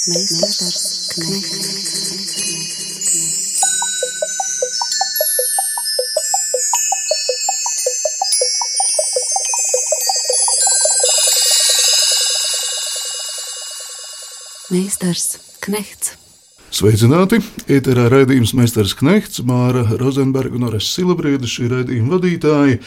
Meistars Knechts. Meistars Knechts. Sveicināti! Ēterā raidījums Meistars Knechts, Māra Rozenberga un Orests Silabriedis, šī raidījuma vadītāji,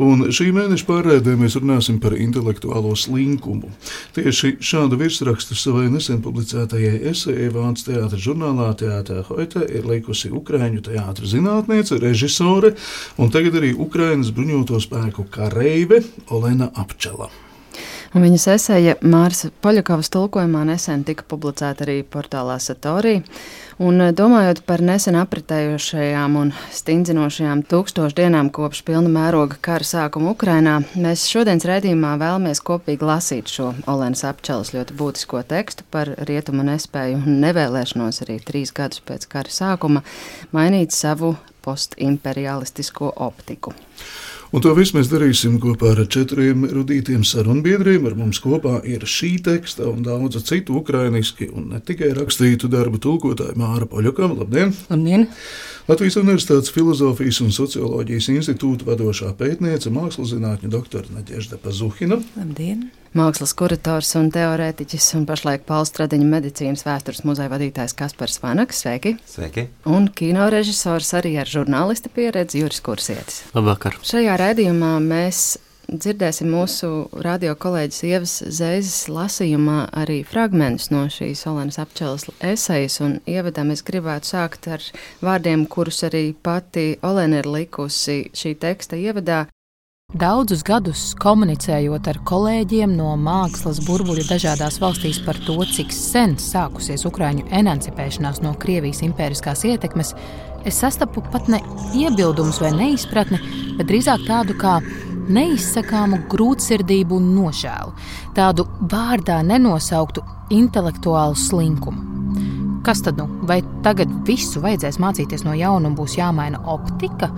un šī mēneša pārraidē mēs runāsim par intelektuālo slinkumu. Tieši šādu virsrakstu savai nesen publicētajai esejai Vācu teātra žurnālā Teātrā Heute ir likusi ukraiņu teātra zinātniece, režisore un tagad arī Ukrainas bruņoto spēku kareive Olena Apčela. Un viņas eseja Māras Poļakovas tulkojumā nesen tika publicēta arī portālā Satorī. Un domājot par nesen apritējošajām un stingzinošajām 1000 dienām kopš pilna mēroga kara sākuma Ukrainā, mēs šodienas raidījumā vēlamies kopīgi lasīt šo Olenas Apčelas ļoti būtisko tekstu par rietumu nespēju un nevēlēšanos arī 3 gadus pēc kara sākuma mainīt savu postimperialistisko optiku. Un to visu mēs darīsim kopā ar 4 rudītiem sarunbiedriem. Ar mums kopā ir šī teksta un daudzu citu ukrainiski un ne tikai rakstītu darbu tulkotāja Māra Poļakova. Labdien! Labdien! Latvijas Universitātes Filozofijas un Socioloģijas institūta vadošā pētniece, mākslazinātņu doktora Nadežda Pazuhina. Labdien! Mākslas kurators un teorētiķis un pašlaik Pāla Stradiņa medicīnas vēstures muzeja vadītājs Kaspars Vanaks. Sveiki! Sveiki! Un kinorežisors arī ar žurnālista pieredzi Juris Kursietis. Labvakar! Šajā raidījumā mēs dzirdēsim mūsu radio kolēģis Ievas Zeizes lasījumā arī fragmentus no šīs Olenas Apčelas esejas, un ievadam es gribētu sākt ar vārdiem, kurus arī pati Olena ir likusi šī teksta ievadā. Daudzus gadus komunicējot ar kolēģiem no mākslas burbuļu dažādās valstīs par to, cik sen sākusies Ukraiņu emancipēšanās no Krievijas impēriskās ietekmes, es sastapu pat ne iebildumus vai neizpratni, bet drīzāk tādu kā neizsakāmu grūtsirdību un nožēlu, tādu vārdā nenosauktu intelektuālu slinkumu. Kas tad nu? Vai tagad visu vajadzēs mācīties no jauna un būs jāmaina optika?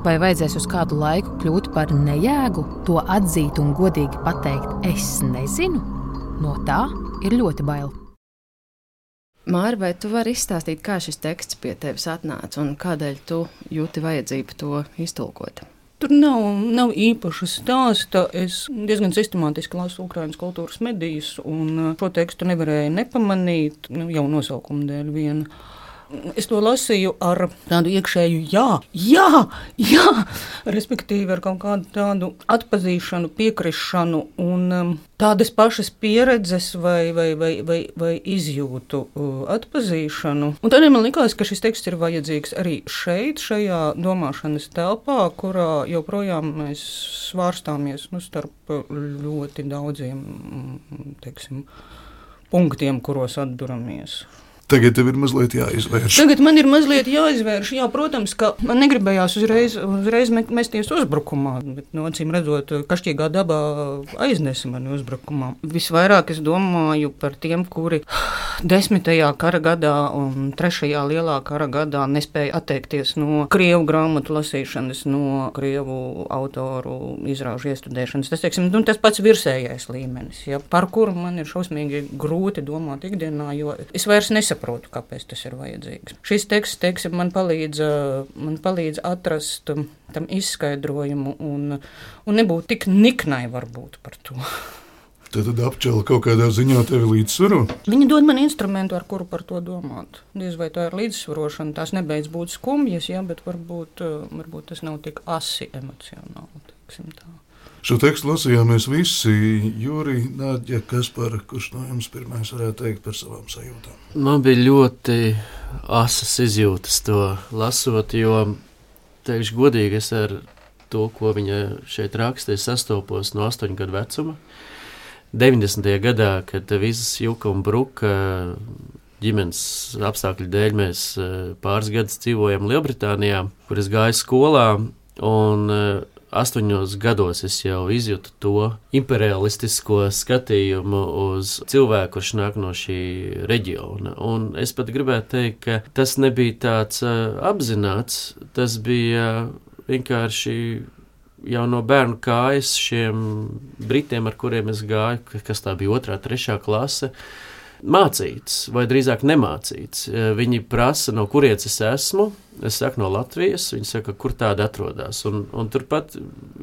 Vai vajadzēs uz kādu laiku kļūt par nejēgu, to atzīt un godīgi pateikt, es nezinu? No tā ir ļoti bail. Māra, vai tu vari izstāstīt, kā šis teksts pie tevis atnāca un kādēļ tu jūti vajadzību to iztulkot? Tur nav īpaša stāsta. Es diezgan sistemātiski lasu Ukrainas kultūras medijas, un šo tekstu nevarēju nepamanīt, jau nosaukuma dēļ viena. Es to lasīju ar tādu iekšēju jā, respektīvi ar kaut kādu tādu atpazīšanu, piekrišanu un tādas pašas pieredzes vai izjūtu atpazīšanu. Un tādēļ man likās, ka šis teksts ir vajadzīgs arī šeit, šajā domāšanas telpā, kurā joprojām mēs svārstāmies starp ļoti daudziem, punktiem, kuros atduramies. Tagad tev ir mazliet jāizvērš. Tagad man ir mazliet jāizvērš. Jā, protams, ka man negribējās uzreiz mesties uzbrukumā, bet, acīm redzot, kašķīgā dabā aiznesa mani uzbrukumā. Visvairāk es domāju par tiem, kuri 10. kara gadā un 3. lielā kara gadā nespēja atteikties no krievu grāmatu lasīšanas, no krievu autoru izrāžu iestudēšanas. Tas pats virsējais līmenis, par kuru man ir šausmīgi grūti domāt ikdienā, jo es vairs nesaprotu, kāpēc tas ir vajadzīgs. Šis teksts, man palīdz atrast tam izskaidrojumu un nebūt tik niknai varbūt par to. Tad Apčela kaut kādā ziņā tevi līdzsvaro? Viņa dod man instrumentu, ar kuru par to domāt. Diez vai tā ir līdzsvarošana, tās nebeidz būt skumjas, bet varbūt tas nav tik asi emocionāli, teiksim tā. Šo tekstu lasījām mēs visi. Juri, Nādja, Kaspar, kurš no jums pirmais varētu teikt par savām sajūtām? Man bija ļoti asas izjūtas to lasot, jo, teikšu godīgi, es ar to, ko viņa šeit raksta, sastopos no 8 gadu vecuma. 90. gadā, kad visas juka un bruka ģimenes apstākļu dēļ, mēs pāris gadus dzīvojam Lielbritānijā, kur es gāju skolā, un 8 gados es jau izjūtu to imperialistisko skatījumu uz cilvēku, kurš nāk no šī reģiona. Un es pat gribētu teikt, ka tas nebija tāds apzināts, tas bija vienkārši jau no bērnu kājas šiem britiem, ar kuriem es gāju, kas tā bija 2., 3. klase, mācīts, vai drīzāk nemācīts. Viņi prasa, no kurienes es esmu. Es saku, no Latvijas. Viņi saka, kur tāda atrodas. Un turpat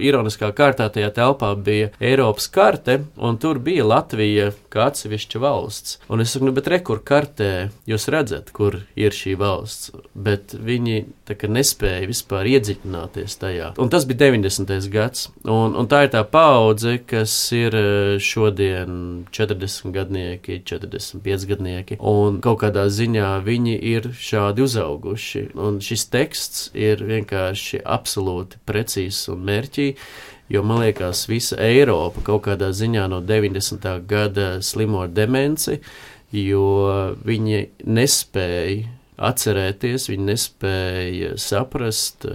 ironiskā kārtā tajā telpā bija Eiropas karte, un tur bija Latvija kā atsevišķa valsts. Un es saku, bet kur kartē jūs redzat, kur ir šī valsts, bet viņi tā kā nespēja vispār iedziļināties tajā. Un tas bija 90. gads. Un tā ir tā paudze, kas ir šodien 40 gadnieki, 45 gadnieki, un kaut kādā ziņā viņi ir šādi uzauguši. Un šis teksts ir vienkārši absolūti precīzs un mērķī, jo man liekas, visa Eiropa kaut kādā ziņā no 90. gada slimo ar demenci, jo viņi nespēja atcerēties, viņi nespēja saprast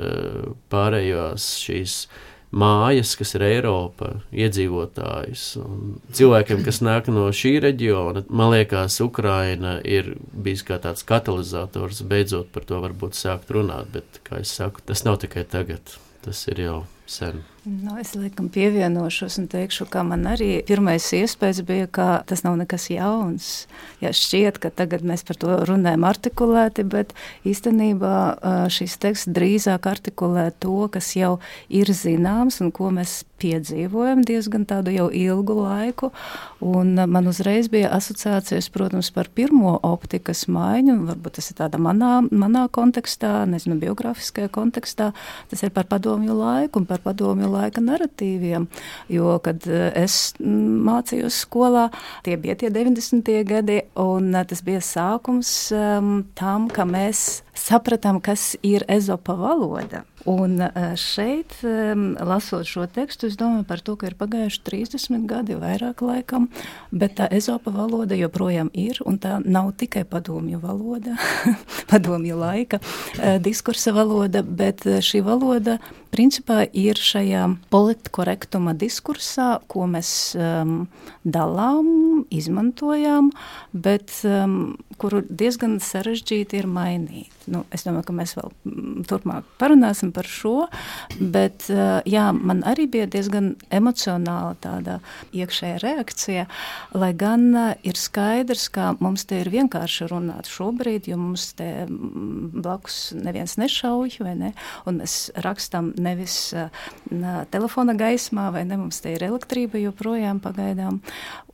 pārējās šīs mājas, kas ir Eiropa, iedzīvotājus. Un cilvēkiem, kas nāk no šī reģiona, man liekas, Ukraina ir bijis kā tāds katalizators, beidzot par to varbūt sākt runāt, bet, kā es saku, tas nav tikai tagad, tas ir jau sen. Es laikam pievienošos un teikšu, ka man arī pirmais iespējas bija, ka tas nav nekas jauns. Ja šķiet, ka tagad mēs par to runājam artikulēti, bet īstenībā šis teksts drīzāk artikulē to, kas jau ir zināms un ko mēs piedzīvojam diezgan tādu jau ilgu laiku. Un man uzreiz bija asociācijas, protams, par pirmo optikas maiņu, un varbūt tas ir tāda manā kontekstā, nezinu, biografiskajā kontekstā, tas ir par padomju laiku un par padomju laika naratīviem, jo, kad es mācījos skolā, tie bija tie 90. gadi, un tas bija sākums tam, ka mēs sapratām, kas ir Ezopa valoda. Un šeit, lasot šo tekstu, es domāju par to, ka ir pagājuši 30 gadi, vairāk laikam, bet tā Ezopa valoda joprojām ir, un tā nav tikai padomju valoda, padomju laika diskursa valoda, bet šī valoda principā ir šajā politkorektuma diskursā, ko mēs dalām, izmantojām, bet kuru diezgan sarežģīti ir mainīt. Es domāju, ka mēs vēl turpmāk parunāsim par šo, bet jā, man arī bija diezgan emocionāla tāda iekšēja reakcija, lai gan ir skaidrs, ka mums te ir vienkārši runāt šobrīd, jo mums te blakus neviens nešauj, vai ne, un mēs rakstam nevis telefona gaismā, vai ne, mums te ir elektrība joprojām pagaidām,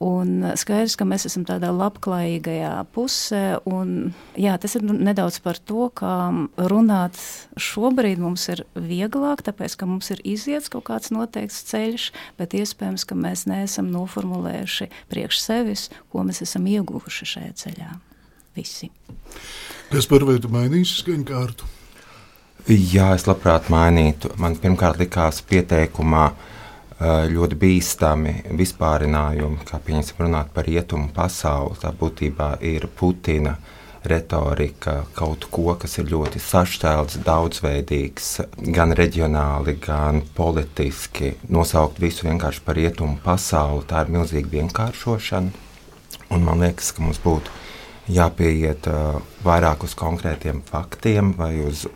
un skaidrs, ka mēs esam tādā labklājīgajā pusē, un jā, tas ir nedaudz par to, ka runāt šobrīd mums ir vieglāk, tāpēc, ka mums ir iziets kaut kāds noteikts ceļš, bet iespējams, ka mēs neesam noformulējuši priekš sevis, ko mēs esam ieguvuši šajā ceļā. Visi. Kas par vai tu mainīsi skaņkārtu? Jā, es labprāt mainītu. Man pirmkārt likās pieteikumā ļoti bīstami vispārinājumi, kā pieņemsim runāt par rietumu pasauli. Tā būtībā ir Putina retorika, kaut ko, kas ir ļoti sašķelts, daudzveidīgs, gan reģionāli, gan politiski. Nosaukt visu vienkārši par rietumu pasauli, tā ir milzīga vienkāršošana. Un man liekas, ka mums būtu jāpieiet vairāk uz konkrētiem faktiem vai uz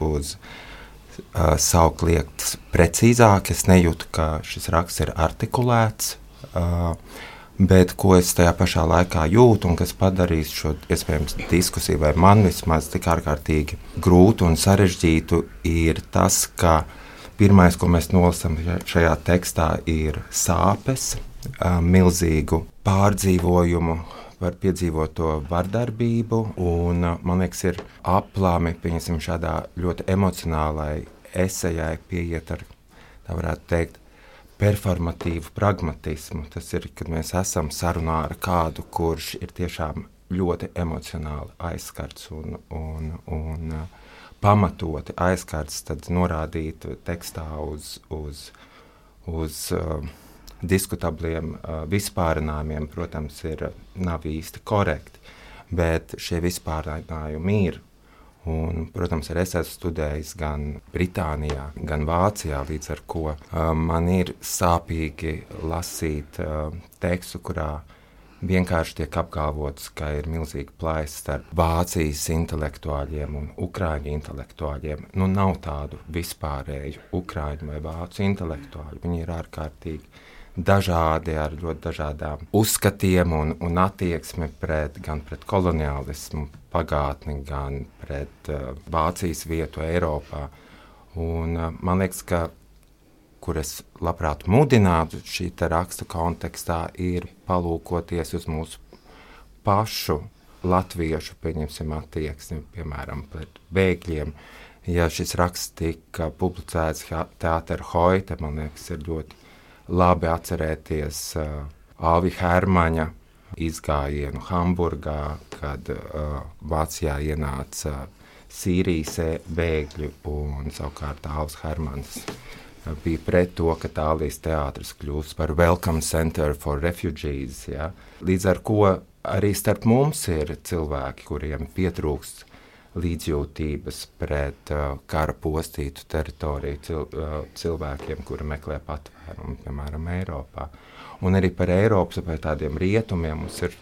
saukt lietas precīzāk. Es nejūtu, ka šis raksts ir artikulēts, bet ko es tajā pašā laikā jūtu un kas padarīs šo iespējams diskusiju vai man vismaz tik ārkārtīgi grūtu un sarežģītu, ir tas, ka pirmais, ko mēs nolasam šajā tekstā, ir sāpes, milzīgu pārdzīvojumu par piedzīvoto vardarbību, un man liekas, ir aplami, pieņemsim, šādā ļoti emocionālai esejai pieiet ar, tā varētu teikt, performatīvu pragmatismu. Tas ir, kad mēs esam sarunā ar kādu, kurš ir tiešām ļoti emocionāli aizskarts un pamatoti aizskarts, tad norādīt tekstā uz diskutabliem vispārinājumiem, protams, nav īsti korekti, bet šie vispārinājumi ir. Un, protams, arī es esmu studējis gan Britānijā, gan Vācijā, līdz ar ko man ir sāpīgi lasīt tekstu, kurā vienkārši tiek apgalvots, ka ir milzīga plaisa starp Vācijas intelektuāļiem un Ukraiņu intelektuāļiem. Nav tādu vispārēju Ukraiņu vai Vācu intelektuāļu. Viņi ir ārkārtīgi dažādi, ar ļoti dažādām uzskatiem un attieksmi gan pret koloniālismu pagātni, gan pret Vācijas vietu Eiropā. Un man liekas, ka, kur es labprāt mudinātu šī raksta kontekstā, ir palūkoties uz mūsu pašu latviešu, pieņemsim, attieksmi, piemēram, pret bēgļiem. Ja šis raksts tika publicēts Teāter Heute, man liekas, ir ļoti labi atcerēties Alvi Hermaņa izgājienu Hamburgā, kad Vācijā ienāca Sīrijas bēgļi, un savukārt Alvs Hermans bija pret to, ka Tālijas teātris kļūst par Welcome Center for Refugees. Ja? Līdz ar ko arī starp mums ir cilvēki, kuriem pietrūkst līdzjūtības pret kara postītu teritoriju cilvēkiem, kuri meklē patvērumu, piemēram, Eiropā. Un arī par Eiropas vai tādiem rietumiem mums ir,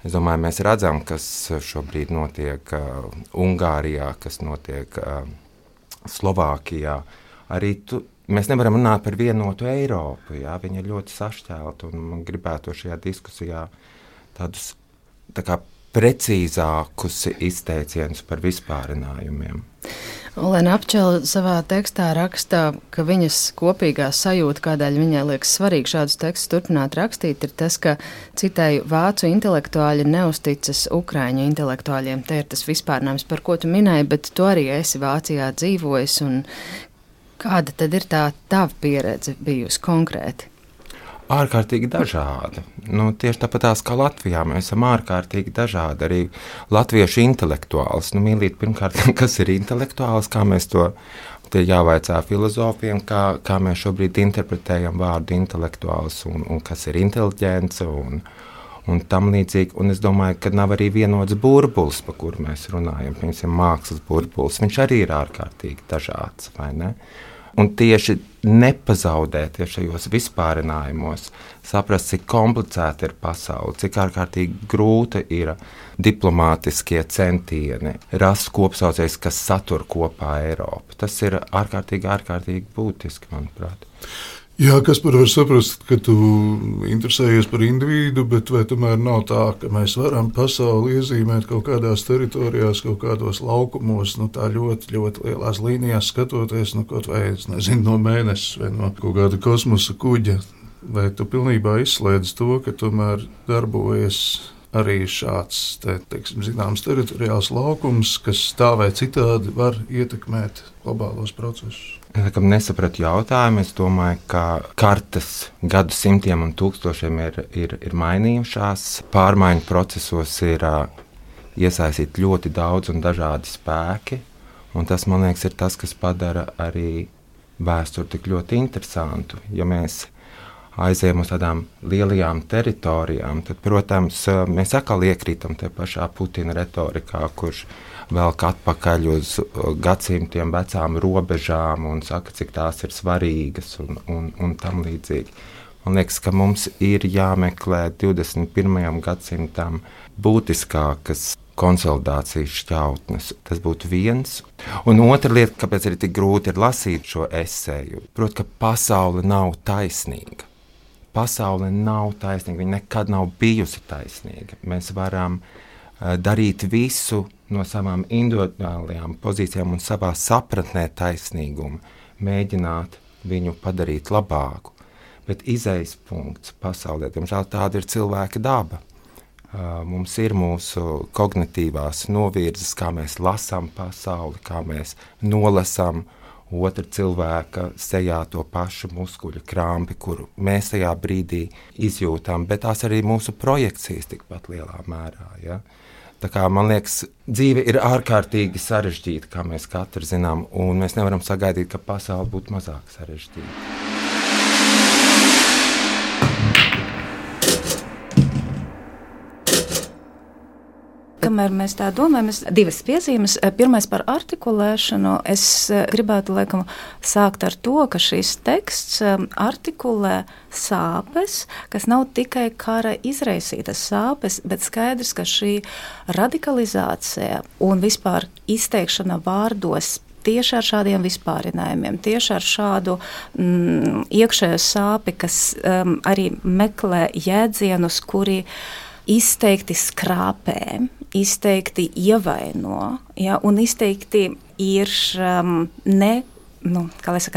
es domāju, mēs redzam, kas šobrīd notiek Ungārijā, kas notiek Slovākijā. Arī mēs nevaram runāt par vienotu Eiropu, jā, viņa ir ļoti sašķelta, un man gribētu šajā diskusijā tādus tā kā precīzākus izteicienus par vispārinājumiem. Olēna Apčela savā tekstā rakstā, ka viņas kopīgā sajūta, kādēļ viņai liekas svarīgi šādus tekstus turpināt rakstīt, ir tas, ka, citēju, vācu intelektuāļi neusticas ukraiņu intelektuāļiem. Te ir tas vispārinājums, par ko tu minēji, bet tu arī esi Vācijā dzīvojis, un kāda tad ir tā tava pieredze bijusi konkrēti? Ārkārtīgi dažāda. Tieši tāpatās kā Latvijā, mēs esam ārkārtīgi dažādi. Arī latviešu intelektuāls. Mīlīt, pirmkārt, kas ir intelektuāls, kā mēs to jāvaicā filozofiem, kā mēs šobrīd interpretējam vārdu intelektuāls un kas ir inteliģence un tam līdzīgi. Un es domāju, ka nav arī vienots burbulis, pa kuru mēs runājam, piemēram, mākslas burbulis. Viņš arī ir ārkārtīgi dažāds, vai ne? Un tieši nepazaudēties šajos vispārinājumos, saprast, cik komplicēta ir pasaule, cik ārkārtīgi grūta ir diplomātiskie centieni, rast kopsaucējs, kas satur kopā Eiropu. Tas ir ārkārtīgi būtiski, manuprāt. Jā, Kaspar, var saprast, ka tu interesējies par individu, bet vai tomēr nav tā, ka mēs varam pasauli iezīmēt kaut kādās teritorijās, kaut kādos laukumos, tā ļoti, ļoti lielās līnijās skatoties, kaut vai, es nezinu, no mēneša vai no kaut kāda kosmosa kuģa. Vai tu pilnībā izslēdz to, ka tomēr darbojas arī šāds, teiksim, zināms teritoriāls laukums, kas tā vai citādi var ietekmēt globālos procesus? Es nesapratu jautājumu. Es domāju, ka kartas gadsimtiem un tūkstošiem ir mainījušās. Pārmaiņu procesos ir iesaistīti ļoti daudz un dažādi spēki. Un tas, man liekas, ir tas, kas padara arī vēsturi tik ļoti interesantu. Ja mēs aizējam uz tādām lielajām teritorijām, tad, protams, mēs atkal iekrītam te pašā Putina retorikā, kurš velk atpakaļ uz gadsimtiem vecām robežām un saka, cik tās ir svarīgas un tam līdzīgi. Man liekas, ka mums ir jāmeklē 21. gadsimtam būtiskākas konsolidācijas šķautnes. Tas būtu viens. Un otra lieta, kāpēc arī tik grūti ir lasīt šo eseju, proti, ka pasaule nav taisnīga. Pasaule nav taisnīga, viņa nekad nav bijusi taisnīga. Mēs varam darīt visu no savām individuālajām pozīcijām un savā sapratnē taisnīgumu, mēģināt viņu padarīt labāku. Bet izejas punkts pasaulē, diemžēl tāda ir cilvēka daba. Mums ir mūsu kognitīvās novirzes, kā mēs lasām pasauli, kā mēs nolasām otra cilvēka sejā to pašu muskuļu krāmpi, kuru mēs tajā brīdī izjūtam, bet tās arī mūsu projekcijas tikpat lielā mērā. Ja? Tā kā, man liekas, dzīve ir ārkārtīgi sarežģīta, kā mēs katrs zinām, un mēs nevaram sagaidīt, ka pasaule būtu mazāk sarežģīta. Kamēr mēs tā domājam, divas piezīmes. Pirmais par artikulēšanu. Es gribētu laikam sākt ar to, ka šis teksts artikulē sāpes, kas nav tikai kara izraisītas sāpes, bet skaidrs, ka šī radikalizācija un vispār izteikšana vārdos tieši ar šādiem vispārinājumiem, tieši ar šādu iekšējo sāpi, kas arī meklē jēdzienus, kuri izteikti skrāpē, izteikti ievaino, ja, un izteikti ir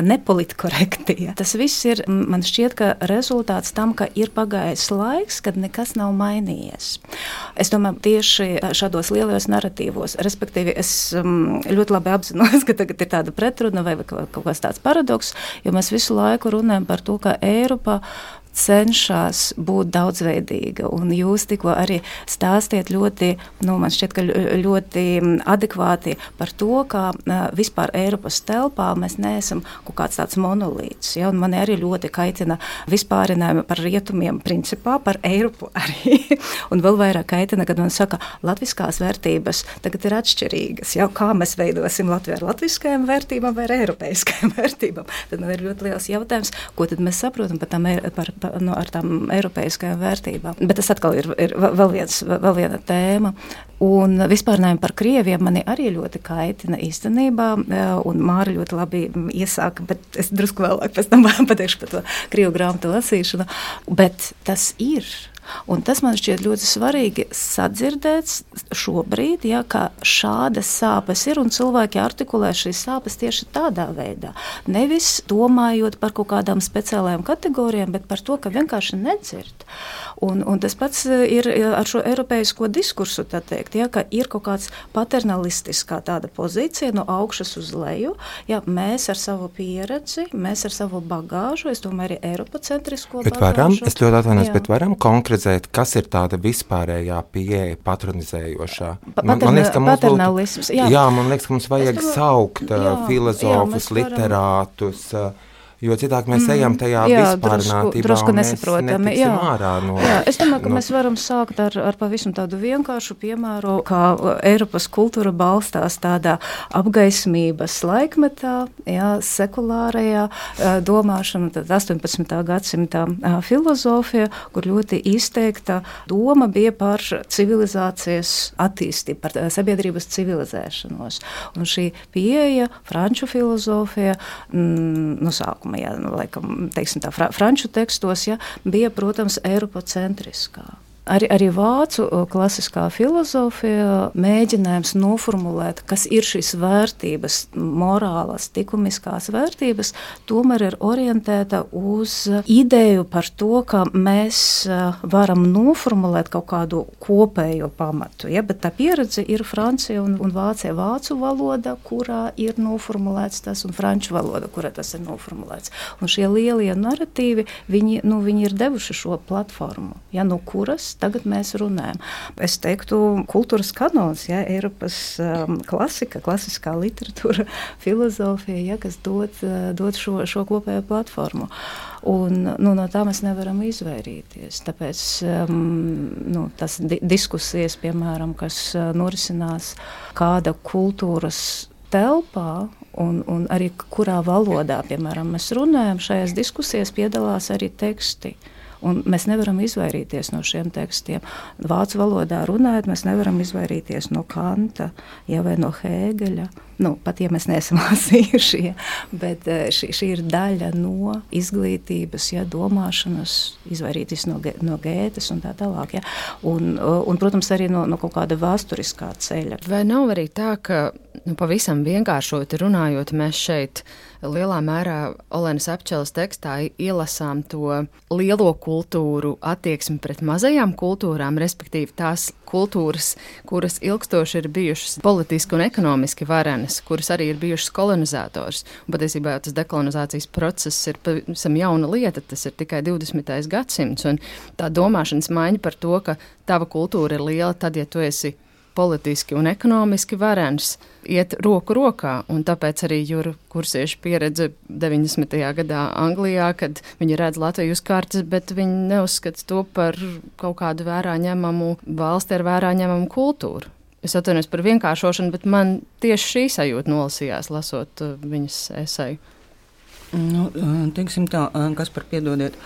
nepolitkorekti. Ja. Tas viss ir, man šķiet, ka rezultāts tam, ka ir pagājis laiks, kad nekas nav mainījies. Es domāju, tieši šādos lielajos naratīvos, respektīvi, es ļoti labi apzinos, ka tagad ir tāda pretruna vai kaut kāds tāds paradoks, jo mēs visu laiku runājam par to, ka Eiropa cenšas būt daudzveidīga, un jūs tikko arī stāstiet ļoti, man šķiet, ka ļoti adekvāti par to, ka vispār Eiropas telpā mēs neesam kaut kāds tāds monolīts, ja, un mani arī ļoti kaitina vispārinājumi par rietumiem principā, par Eiropu arī, un vēl vairāk kaitina, kad man saka, latviskās vērtības tagad ir atšķirīgas, ja, kā mēs veidosim Latviju ar latviskajām vērtībām vai ar eiropeiskajām vērtībām, tad man ir ļoti liels jautājums, ko tad mēs saprotam ar tām eiropeiskajām vērtībām. Bet tas atkal ir vēl viena tēma. Un vispārnājumi par krieviem mani arī ļoti kaitina īstenībā, un Māra ļoti labi iesāka, bet es drusku vēlāk pēc tam pateikšu par to krievu grāmatu lasīšanu. Bet tas ir. Un tas man šķiet ļoti svarīgi sadzirdēt šobrīd, ja, ka šādas sāpes ir un cilvēki artikulē šīs sāpes tieši tādā veidā. Nevis domājot par kaut kādām speciālajām kategorijām, bet par to, ka vienkārši nedzird. Un tas pats ir ar šo eiropeisko diskursu, tā teikt, ja, ka ir kaut kāds paternalistiskā tāda pozīcija no augšas uz leju. Ja, mēs ar savu pieredzi, mēs ar savu bagāžu, es domāju arī eiropacentrisko bagāžu. Es ļoti atvainojos, bet varam konkretizēt, kas ir tāda vispārējā pieeja patronizējošā? Man liekas, ka paternalisms. Man liekas, ka mums vajag saukt filozofus, literātus, jo citāk mēs ejam tajā vispārinātībā drusku un mēs nesaprotami. netiksim ārā no... Es domāju, ka mēs varam sākt ar pavisam tādu vienkāršu piemēru, kā Eiropas kultūra balstās tādā apgaismības laikmetā, sekulārajā domāšana, tad 18. gadsimta filozofija, kur ļoti izteikta doma bija par civilizācijas attīstību, par sabiedrības civilizēšanos. Un šī pieeja, franču filozofija, sākuma, laikam, teiksim tā, franču tekstos, bija, protams, eiropacentriskā. Arī vācu klasiskā filozofija mēģinājums noformulēt, kas ir šīs vērtības, morālas, likumiskās vērtības, tomēr ir orientēta uz ideju par to, ka mēs varam noformulēt kaut kādu kopējo pamatu. Ja? Bet tā pieredze ir Francija un Vācija, vācu valoda, kurā ir noformulēts tas, un franču valoda, kurā tas ir noformulēts. Un šie lielie naratīvi, viņi ir devuši šo platformu, no kuras tagad mēs runājam. Es teiktu, kultūras kanons, Eiropas klasiskā literatūra, filozofija, kas dod šo kopējo platformu. Un no tā mēs nevaram izvairīties. Tāpēc tas diskusijas, piemēram, kas norisinās kāda kultūras telpā, un arī kurā valodā, piemēram, mēs runājam, šajās diskusijās piedalās arī teksti. Un mēs nevaram izvairīties no šiem tekstiem. Vācu valodā runājot, mēs nevaram izvairīties no Kanta, vai no Hēgeļa. Pat ja mēs neesam lasījuši, bet šī ir daļa no izglītības, domāšanas, izvairīties no Gētes un tā tālāk. Un, protams, arī no kaut kāda vēsturiskā ceļa. Vai nav arī tā, ka pavisam vienkāršoti runājot, mēs šeit lielā mērā Olenas Apčeles tekstā ielasām to lielo kultūru attieksmi pret mazajām kultūrām, respektīvi tās kultūras, kuras ilgstoši ir bijušas politiski un ekonomiski varenas, kuras arī ir bijušas kolonizators. Un patiesībā tas dekolonizācijas process ir pavisam jauna lieta, tas ir tikai 20. gadsimts, un tā domāšanas maiņa par to, ka tava kultūra ir liela tad, ja tu esi politiski un ekonomiski varens, iet roku rokā, un tāpēc arī Jura Kursieša pieredze 90. gadā Anglijā, kad viņi redz Latviju uz kartes, bet viņi neuzskata to par kaut kādu vērā ņemamu valsti ar vērā ņemamu kultūru. Es atvainojos par vienkāršošanu, bet man tieši šī sajūta nolasījās, lasot viņas eseju. Teiksim tā, kas par piedodiet.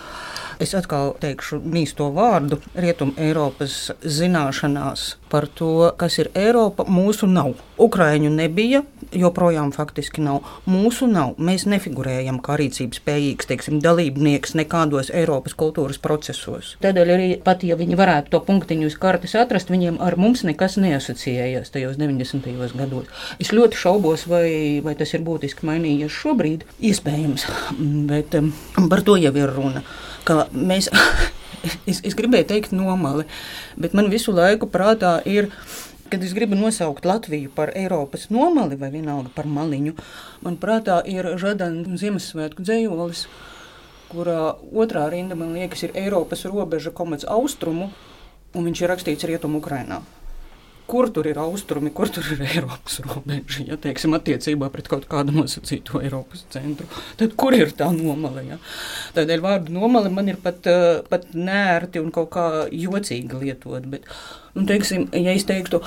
Es atkal teikšu mīsto vārdu. Rietum Eiropas zināšanās par to, kas ir Eiropa, mūsu nav. Ukraiņu nebija, joprojām faktiski nav. Mūsu nav. Mēs nefigurējam kā rīcības spējīgs, teiksim, dalībnieks nekādos Eiropas kultūras procesos. Tādēļ arī pat, ja viņi varētu to punktiņu uz kartes atrast, viņiem ar mums nekas neasociējās tajos 90. gados. Es ļoti šaubos, vai tas ir būtiski mainījies šobrīd. Iespējams, bet par to jau ir runa. Ka mēs, es gribēju teikt nomali, bet man visu laiku prātā ir, kad es gribu nosaukt Latviju par Eiropas nomali vai vienalga par maliņu, man prātā ir Žadana Ziemassvētku dzējolis, kurā otrā rinda, man liekas, ir Eiropas robeža komats austrumu, un viņš ir rakstīts Rietumu Ukrainā. Kur tur ir austrumi, kur tur ir Eiropas robeža, ja teiksim, attiecībā pret kaut kādu nosacīto Eiropas centru. Tad kur ir tā nomale? Ja? Tādēļ vārdu nomale man ir pat nērti un kaut kā jocīgi lietot. Bet, teiksim, ja es teiktu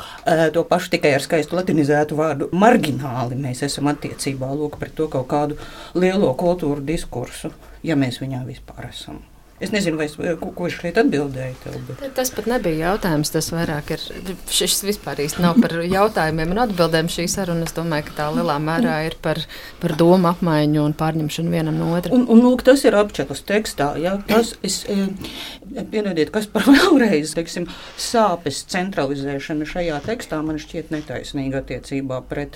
to pašu tikai ar skaistu latinizētu vārdu margināli, mēs esam attiecībā pret to kaut kādu lielo kultūru diskursu, ja mēs viņā vispār esam. Es nezinu, ko es šeit atbildēju tev. Bet... Tas pat nebija jautājums, tas vairāk ir, šis vispār īsti nav par jautājumiem un atbildēm šī saruna. Es domāju, ka tā lielā mērā ir par domu apmaiņu un pārņemšanu vienam no otra. Un lūk, tas ir apčakas tekstā, ja? Tas, piedodiet, kas par vēlreiz, teiksim, sāpes centralizēšana šajā tekstā man šķiet netaisnīga attiecībā pret...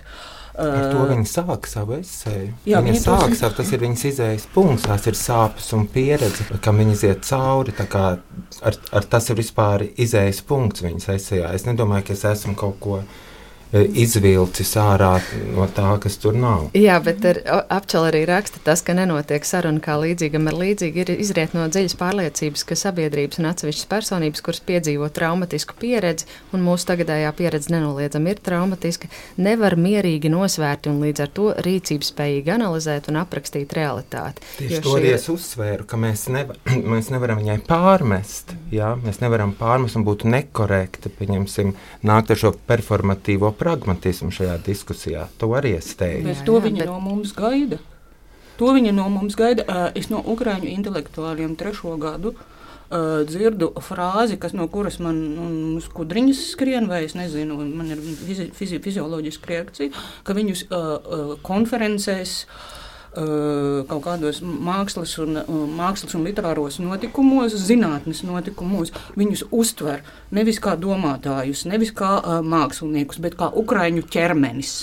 Ar to viņi sāk savu esēju. Viņa sāk savu, tas ir viņas izējas punkts, tās ir sāpes un pieredze, kam viņi iziet cauri, tā kā ar tas ir vispār izējas punkts viņas esējā. Es nedomāju, ka es esmu kaut ko izvilcis ārā no tā, kas tur nav. Jā, bet Apčela arī raksta tas, ka nenotiek saruna kā līdzīgam ar līdzīgi, ir izriet no dziļas pārliecības, ka sabiedrības un atsevišķas personības, kuras piedzīvo traumatisku pieredzi, un mūsu tagadējā pieredze nenoliedzami ir traumatiska, nevar mierīgi nosvērt un līdz ar to rīcības spējīgi analizēt un aprakstīt realitāti. Tieši to es uzsvēru, ka mēs nevaram viņai pārmest, jā? Mēs nevaram pārmest un būtu nekorekti, pieņemsim, nākt ar šo performatīvo pragmatismu šajā diskusijā. To arī es teiktu. Bet to viņa no mums gaida. To viņa no mums gaida. Es no ukraiņu intelektuāļiem 3. gadu dzirdu frāzi, no kuras man skudriņas skrien, vai es nezinu, man ir fizioloģiska reakcija, ka viņus konferencēs kaut kādos mākslas un literāros notikumos, zinātnes notikumos, viņus uztver nevis kā domātājus, nevis kā māksliniekus, bet kā ukraiņu ķermenis.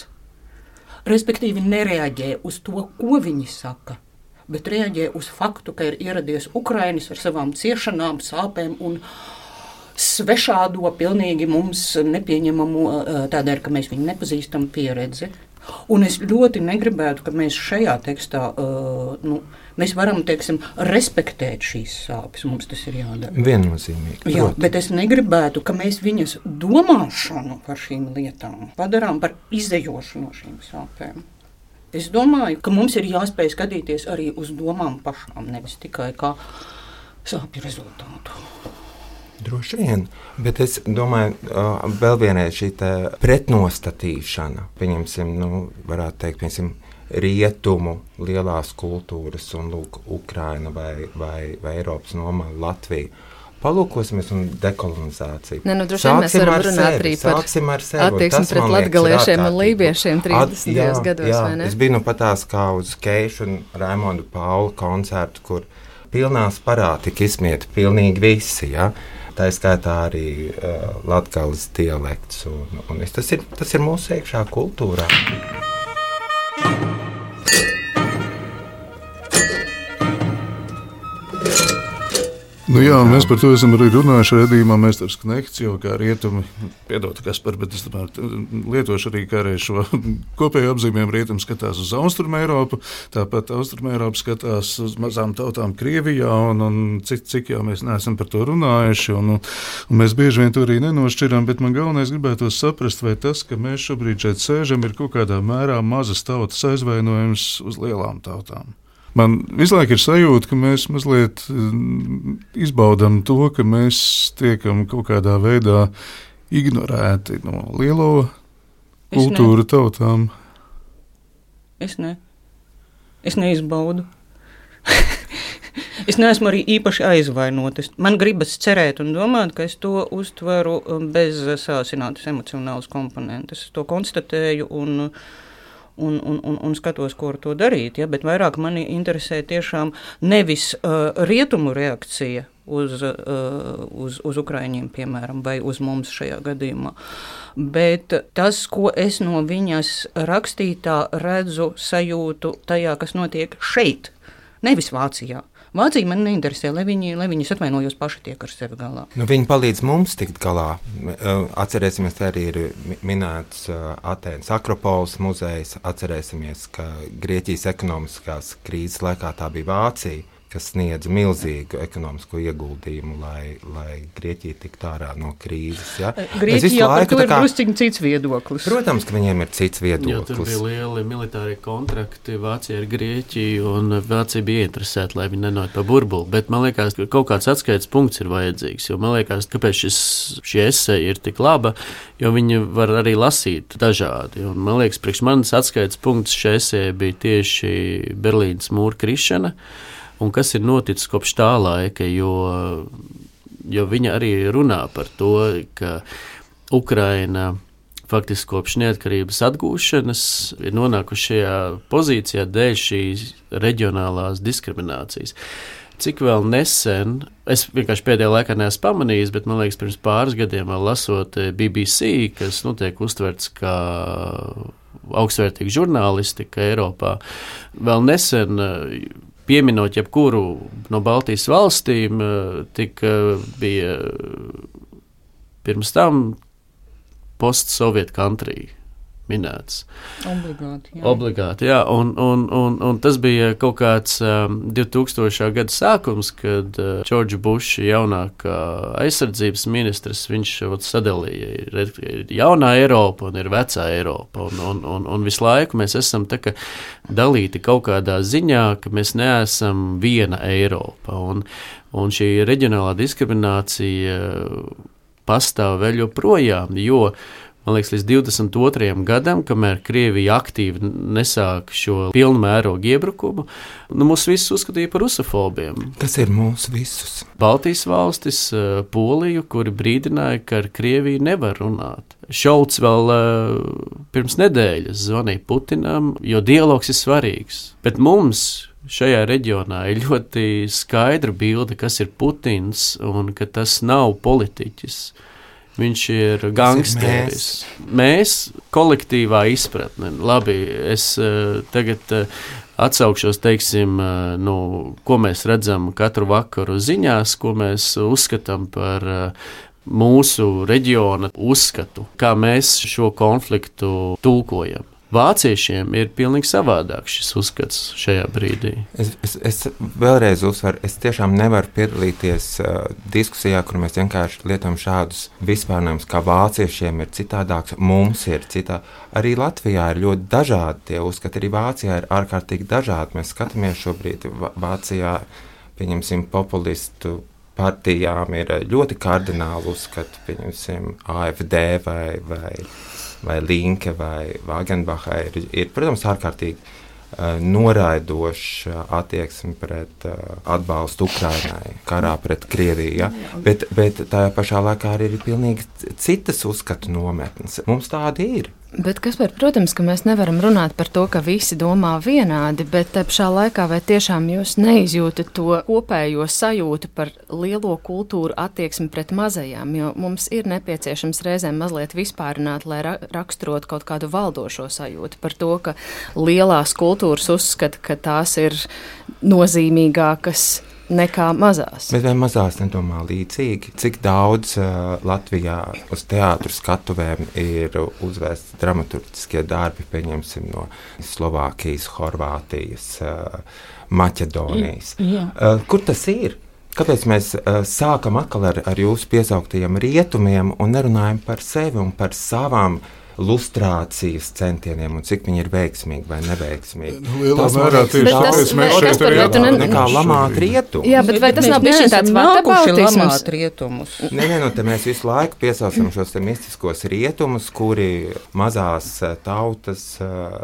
Respektīvi nereaģē uz to, ko viņi saka, bet reaģē uz faktu, ka ir ieradies ukrainis ar savām ciešanām, sāpēm un svešādo, pilnīgi mums nepieņemamu, tādēļ, ka mēs viņu nepazīstam pieredzi. Un es ļoti negribētu, ka mēs šajā tekstā, mēs varam, teiksim, respektēt šīs sāpes, mums tas ir jādara. Viennozīmīgi. Jā, bet es negribētu, ka mēs viņas domāšanu par šīm lietām padarām par izdejošu no šīm sāpēm. Es domāju, ka mums ir jāspēj skatīties arī uz domām pašām, nevis tikai kā sāpju rezultātu. Droši vien, bet es domāju, vēl vienreiz šī pretnostatīšana, pieņemsim, varētu teikt, pieņemsim, rietumu lielās kultūras un lūk, Ukraina vai Eiropas nomala Latvija. Palūkosimies un dekolonizāciju. Droši vien mēs varam runāt arī par attieksmi pret latgaliešiem un lībiešiem 30. gados, vai ne? Es biju patās kā uz Keišu un Raimondu Paulu koncertu, kur pilnās parā tika izsmieti pilnīgi visi, ja? Tā skaitā arī latgales dialekts. Tas ir mūsu iekšā kultūrā. Jā, mēs par to esam arī runājuši redzījumā Meistars Knehts, jo kā rietumi, piedod Kaspar, bet es lietošu arī kā reiz šo kopēju apzīmējumu. Rietumi skatās uz Austrumu Eiropu, tāpat Austrumu Eiropa skatās uz mazām tautām Krievijā, un cik jau mēs neesam par to runājuši, un mēs bieži vien to arī nenošķiram, bet man galvenais gribētos saprast, vai tas, ka mēs šobrīd šeit sēžam, ir kaut kādā mērā mazas tautas aizvainojums uz lielām tautām. Man visu laiku ir sajūta, ka mēs mazliet izbaudam to, ka mēs tiekam kaut kādā veidā ignorēti no lielo kultūru tautām. Es neizbaudu. Es neesmu arī īpaši aizvainotas. Man gribas cerēt un domāt, ka es to uztveru bez sāsinātas emocionālas komponentes. Es to konstatēju un skatos, ko ar to darīt. Ja? Bet vairāk mani interesē tiešām nevis rietumu reakcija uz ukraiņiem, piemēram, vai uz mums šajā gadījumā. Bet tas, ko es no viņas rakstītā redzu, sajūtu tajā, kas notiek šeit, nevis Vācijā. Vācija man neinteresē, lai viņas atvainojos paši tiek ar sevi galā. Viņi palīdz mums tikt galā. Atcerēsimies, arī ir minēts Atēnas Akropoles muzejs. Atcerēsimies, ka Grieķijas ekonomiskās krīzes laikā tā bija Vācija, kas sniedz milzīgu ekonomisko ieguldījumu, lai Grieķija tiktu ārā no krīzes. Ja? Grieķijā par to ir drusciņ cits viedoklis. Protams, ka viņiem ir cits viedoklis. Jo tur bija lieli militāri kontrakti Vācija ar Grieķiju, un Vācija bija interesēta, lai viņi nenāk pa burbuli. Bet man liekas, ka kaut kāds atskaites punkts ir vajadzīgs, jo man liekas, kāpēc šī eseja ir tik laba, jo viņi var arī lasīt dažādi. Un man liekas, priekš manas atskaites punkts šī eseja bija tieši Berlīnas mūra krišana, un kas ir noticis kopš tā laika, jo viņa arī runā par to, ka Ukraina faktiski kopš neatkarības atgūšanas ir nonākuši šajā pozīcijā dēļ šīs reģionālās diskriminācijas. Cik vēl nesen, es vienkārši pēdējā laikā neesmu pamanījis, bet man liekas, pirms pāris gadiem vēl lasot BBC, kas tiek uztverts kā augstvērtīga žurnālistika Eiropā, vēl nesen pieminot jebkuru no Baltijas valstīm, bija pirms tam post-Soviet country minēts. Obligāti, jā. Un tas bija kaut kāds 2000. Gada sākums, kad Džordža Buša jaunākā aizsardzības ministrs, viņš sadalīja, ir jaunā Eiropa un ir vecā Eiropa. Un visu laiku mēs esam tā kā dalīti kaut kādā ziņā, ka mēs neesam viena Eiropa. Un šī reģionālā diskriminācija pastāv vēl joprojām, jo man liekas, līdz 22. gadam, kamēr Krievija aktīvi nesāk šo pilnu mērogu iebrukumu, mūs visus uzskatīja par rusofobiem. Tas ir mūsu visus. Baltijas valstis, Poliju, kuri brīdināja, ka ar Krieviju nevar runāt. Šolts vēl pirms nedēļas zvanīja Putinam, jo dialogs ir svarīgs. Bet mums šajā reģionā ir ļoti skaidra bilde, kas ir Putins un ka tas nav politiķis. Viņš ir gangsteris. Mēs kolektīvā izpratne. Labi, es tagad atsaukšos, teiksim, ko mēs redzam katru vakaru ziņās, ko mēs uzskatām par mūsu reģiona uzskatu, kā mēs šo konfliktu tulkojam. Vāciešiem ir pilnīgi savādāk šis uzskats šajā brīdī. Es vēlreiz uzsveru, es tiešām nevaru piedalīties diskusijā, kur mēs vienkārši lietojam šādus vispārnējumus, kā vāciešiem ir citādāks, mums ir citādi. Arī Latvijā ir ļoti dažādi tie uzskati, arī Vācijā ir ārkārtīgi dažādi. Mēs skatāmies šobrīd Vācijā, pieņemsim, populistu partijām ir ļoti kardināli uzskati, pieņemsim, AfD vai Linke vai Wagenbacha ir, protams, ārkārtīgi noraidoša attieksme pret atbalstu Ukrainai, karā pret Krieviju. Ja? Bet tajā pašā laikā arī ir pilnīgi citas uzskatu nometnes. Mums tādi ir. Bet, Kaspar, protams, ka mēs nevaram runāt par to, ka visi domā vienādi, bet pašā laikā vai tiešām jūs neizjūtat to kopējo sajūtu par lielo kultūru attieksmi pret mazajām, jo mums ir nepieciešams reizēm mazliet vispārināt, lai raksturot kaut kādu valdošo sajūtu par to, ka lielās kultūras uzskata, ka tās ir nozīmīgākas nekā mazās. Bet vai mazās nedomā līdzīgi? Cik daudz Latvijā uz teātru skatuvēm ir uzvērsti dramaturgiskie darbi, pieņemsim no Slovākijas, Horvātijas, Maķedonijas. Kur tas ir? Kāpēc mēs sākam atkal ar jūsu piesauktajiem rietumiem un nerunājam par sevi un par savām lustrācijas centieniem un cik viņi ir veiksmīgi vai neveiksmīgi. Lielā mērā tieši tāpēc mēs šeit arī atbalstam. Nekā lamāt rietumus. Jā, bet vai tas nav bijis tāds lamāt rietumus? Nē, te mēs visu laiku piesaucam šos te mistiskos rietumus, kuri mazās tautas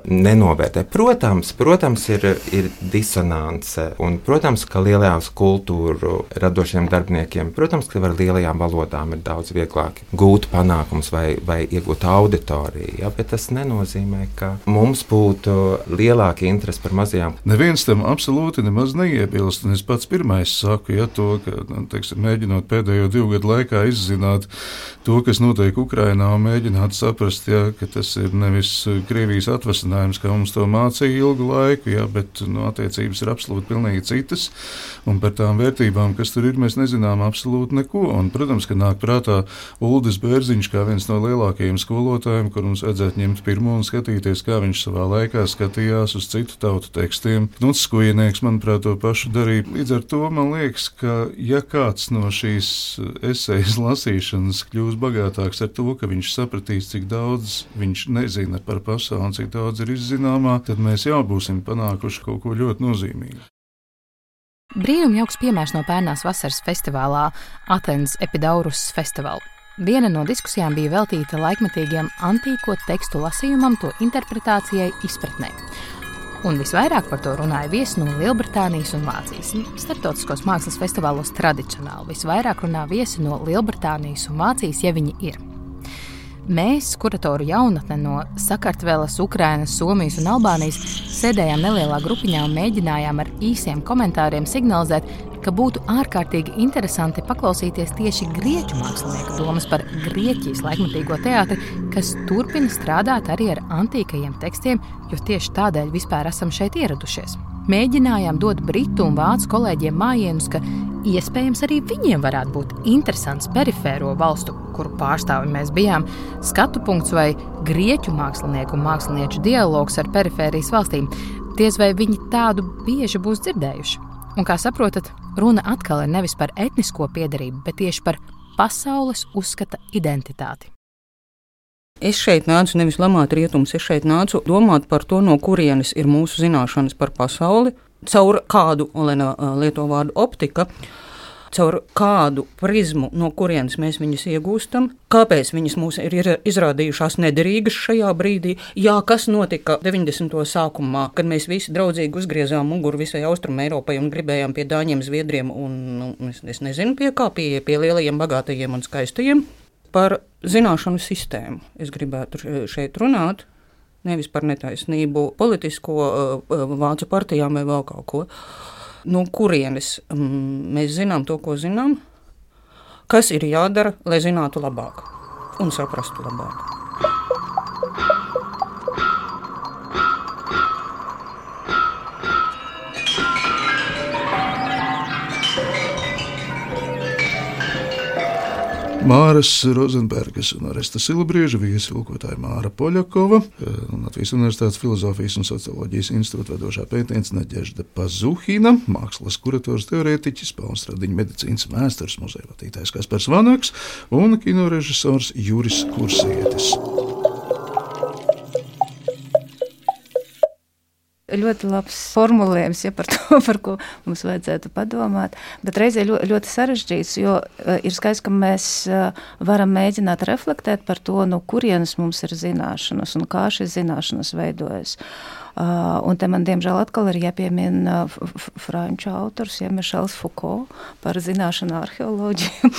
nenovērtē. Protams, ir disonance, un, protams, ka lielajās kultūru radošiem darbiniekiem, protams, ka ar lielajām valodām ir daudz vieglāk gūt panākums vai iegūt auditoriju, ja, bet tas nenozīmē, ka mums būtu lielāka interese par mazajām. Neviens tam absolūti nemaz neiebilst, un es pats pirmais saku, ja to, ka, teiksim, mēģinot pēdējo 2 gadu laikā izzināt to, kas notiek Ukrainā, un mēģināt saprast, ja, ka tas ir nevis Krievijas atvasinājums, kā mums to mācīja ilgu laiku, ja, bet attiecības ir absolūti pilnīgi citas, un par tām vērtībām, kas tur ir, mēs nezinām absolūti neko, un, protams, ka nāk prātā Uldis Bērziņš kā viens no lielākajiem skolotājiem, kur mums vajadzētu ņemt pirmo un skatīties, kā viņš savā laikā skatījās uz citu tautu tekstiem. Knuts Skujnieks, manuprāt, to pašu darīja. Līdz ar to man liekas, ka ja kāds no šīs esejas lasīšanas kļūs bagātāks ar to, ka viņš sapratīs, cik daudz viņš nezina par pasauli un cik daudz ir izzināmā, tad mēs jau būsim panākuši kaut ko ļoti nozīmīgu. Brīnum jauks piemērs no pērnās vasaras festivālā Atenas Epidaurus festivāla. Viena no diskusijām bija veltīta laikmetīgiem antīko tekstu lasījumam, to interpretācijai, izpratnē. Un visvairāk par to runāja viesi no Lielbritānijas un Vācijas. Starptautiskos mākslas festivālos tradicionāli visvairāk runā viesi no Lielbritānijas un Vācijas, ja viņi ir. Mēs, kuratoru jaunatne no Sakartveles, Ukrainas, Somijas un Albānijas, sēdējām nelielā grupiņā un mēģinājām ar īsiem komentāriem signalizēt, ka būtu ārkārtīgi interesanti paklausīties tieši grieķu mākslinieku domas par Grieķijas laikmetīgo teātri, kas turpina strādāt arī ar antīkajiem tekstiem, jo tieši tādēļ vispār esam šeit ieradušies. Mēģinājām dot britu un vācu kolēģiem mājienus, ka iespējams arī viņiem varētu būt interesants perifēro valstu, kuru pārstāvi mēs bijām, skatu punkts vai grieķu mākslinieku un mākslinieču dialogs ar perifērijas valstīm. Diez vai viņi tādu bieži būs dzirdējuši. Un, kā saprotat, runa atkal ir nevis par etnisko piederību, bet tieši par pasaules uzskata identitāti. Es šeit nācu nevis lamāt rietumus, es šeit nācu domāt par to, no kurienes ir mūsu zināšanas par pasauli, caur kādu, Olena lieto vārdu optika, caur kādu prizmu, no kurienes mēs viņus iegūstam, kāpēc viņas mūs ir izrādījušās nederīgas šajā brīdī, kas notika 90. sākumā, kad mēs visi draudzīgi uzgriezām muguru visai Austrum Eiropai un gribējām pie dāņiem, zviedriem un es nezinu pie kā, pie lielajiem, bagātajiem un skaistajiem. Par zināšanu sistēmu es gribētu šeit runāt, nevis par netaisnību politisko vācu partijām vai vēl kaut ko. No kurienes mēs zinām to, ko zinām, kas ir jādara, lai zinātu labāk un saprastu labāk. Māras Rozenbergas un Aresta Silabrieža viesilkotāja Māra Poļakova, Latvijas Universitātes Filozofijas un socioloģijas institūta vadošā pētniece Nadežda Pazuhina, mākslas kurators teorētiķis, Pauls Radiņa medicīnas vēstures muzeja vadītājs Kaspars Vanaks un kinorežisors Juris Kursietis. Ļoti labs formulējums par to, par ko mums vajadzētu padomāt, bet reizē ļoti sarežģīts, jo ir skaidrs, ka mēs varam mēģināt reflektēt par to, no kurienes mums ir zināšanas un kā šīs zināšanas veidojas. Un te man, diemžēl, atkal ir jāpiemina franču autors, Mišels Foucault par zināšanu arheoloģiju.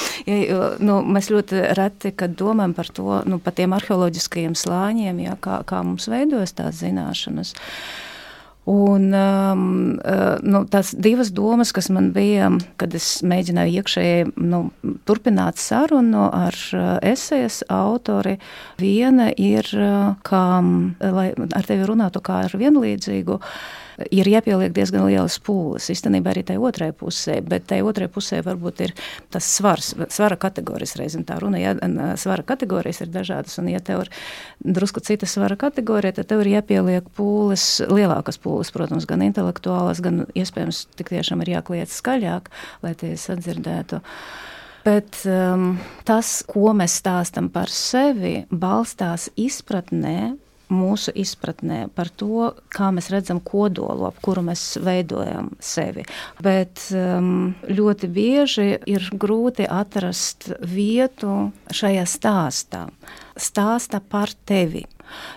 Mēs ļoti reti, kad domājam par to, par tiem arheoloģiskajiem slāņiem, kā mums veidojas tās zināšanas. Un tās divas domas, kas man bija, kad es mēģināju iekšēji turpināt sarunu ar esejas autori, viena ir, kā, lai ar tevi runātu kā ar vienlīdzīgu, ir jāpieliek diezgan lielas pūles. Īstenībā arī tai otrai pusē, bet tai otrai pusē varbūt ir tas svara kategorijas reizēm tā runa. Ja svara kategorijas ir dažādas, un ja tev ir drusku cita svara kategorija, tad tev ir jāpieliek pūles, lielākas pūles, protams, gan intelektuālas, gan iespējams tik tiešām ir jākliedz skaļāk, lai tie sadzirdētu. Bet tas, ko mēs stāstam par sevi, balstās izpratnē, mūsu izpratnē par to, kā mēs redzam kodolu, ap kuru mēs veidojam sevi. Bet ļoti bieži ir grūti atrast vietu šajā stāstā par tevi.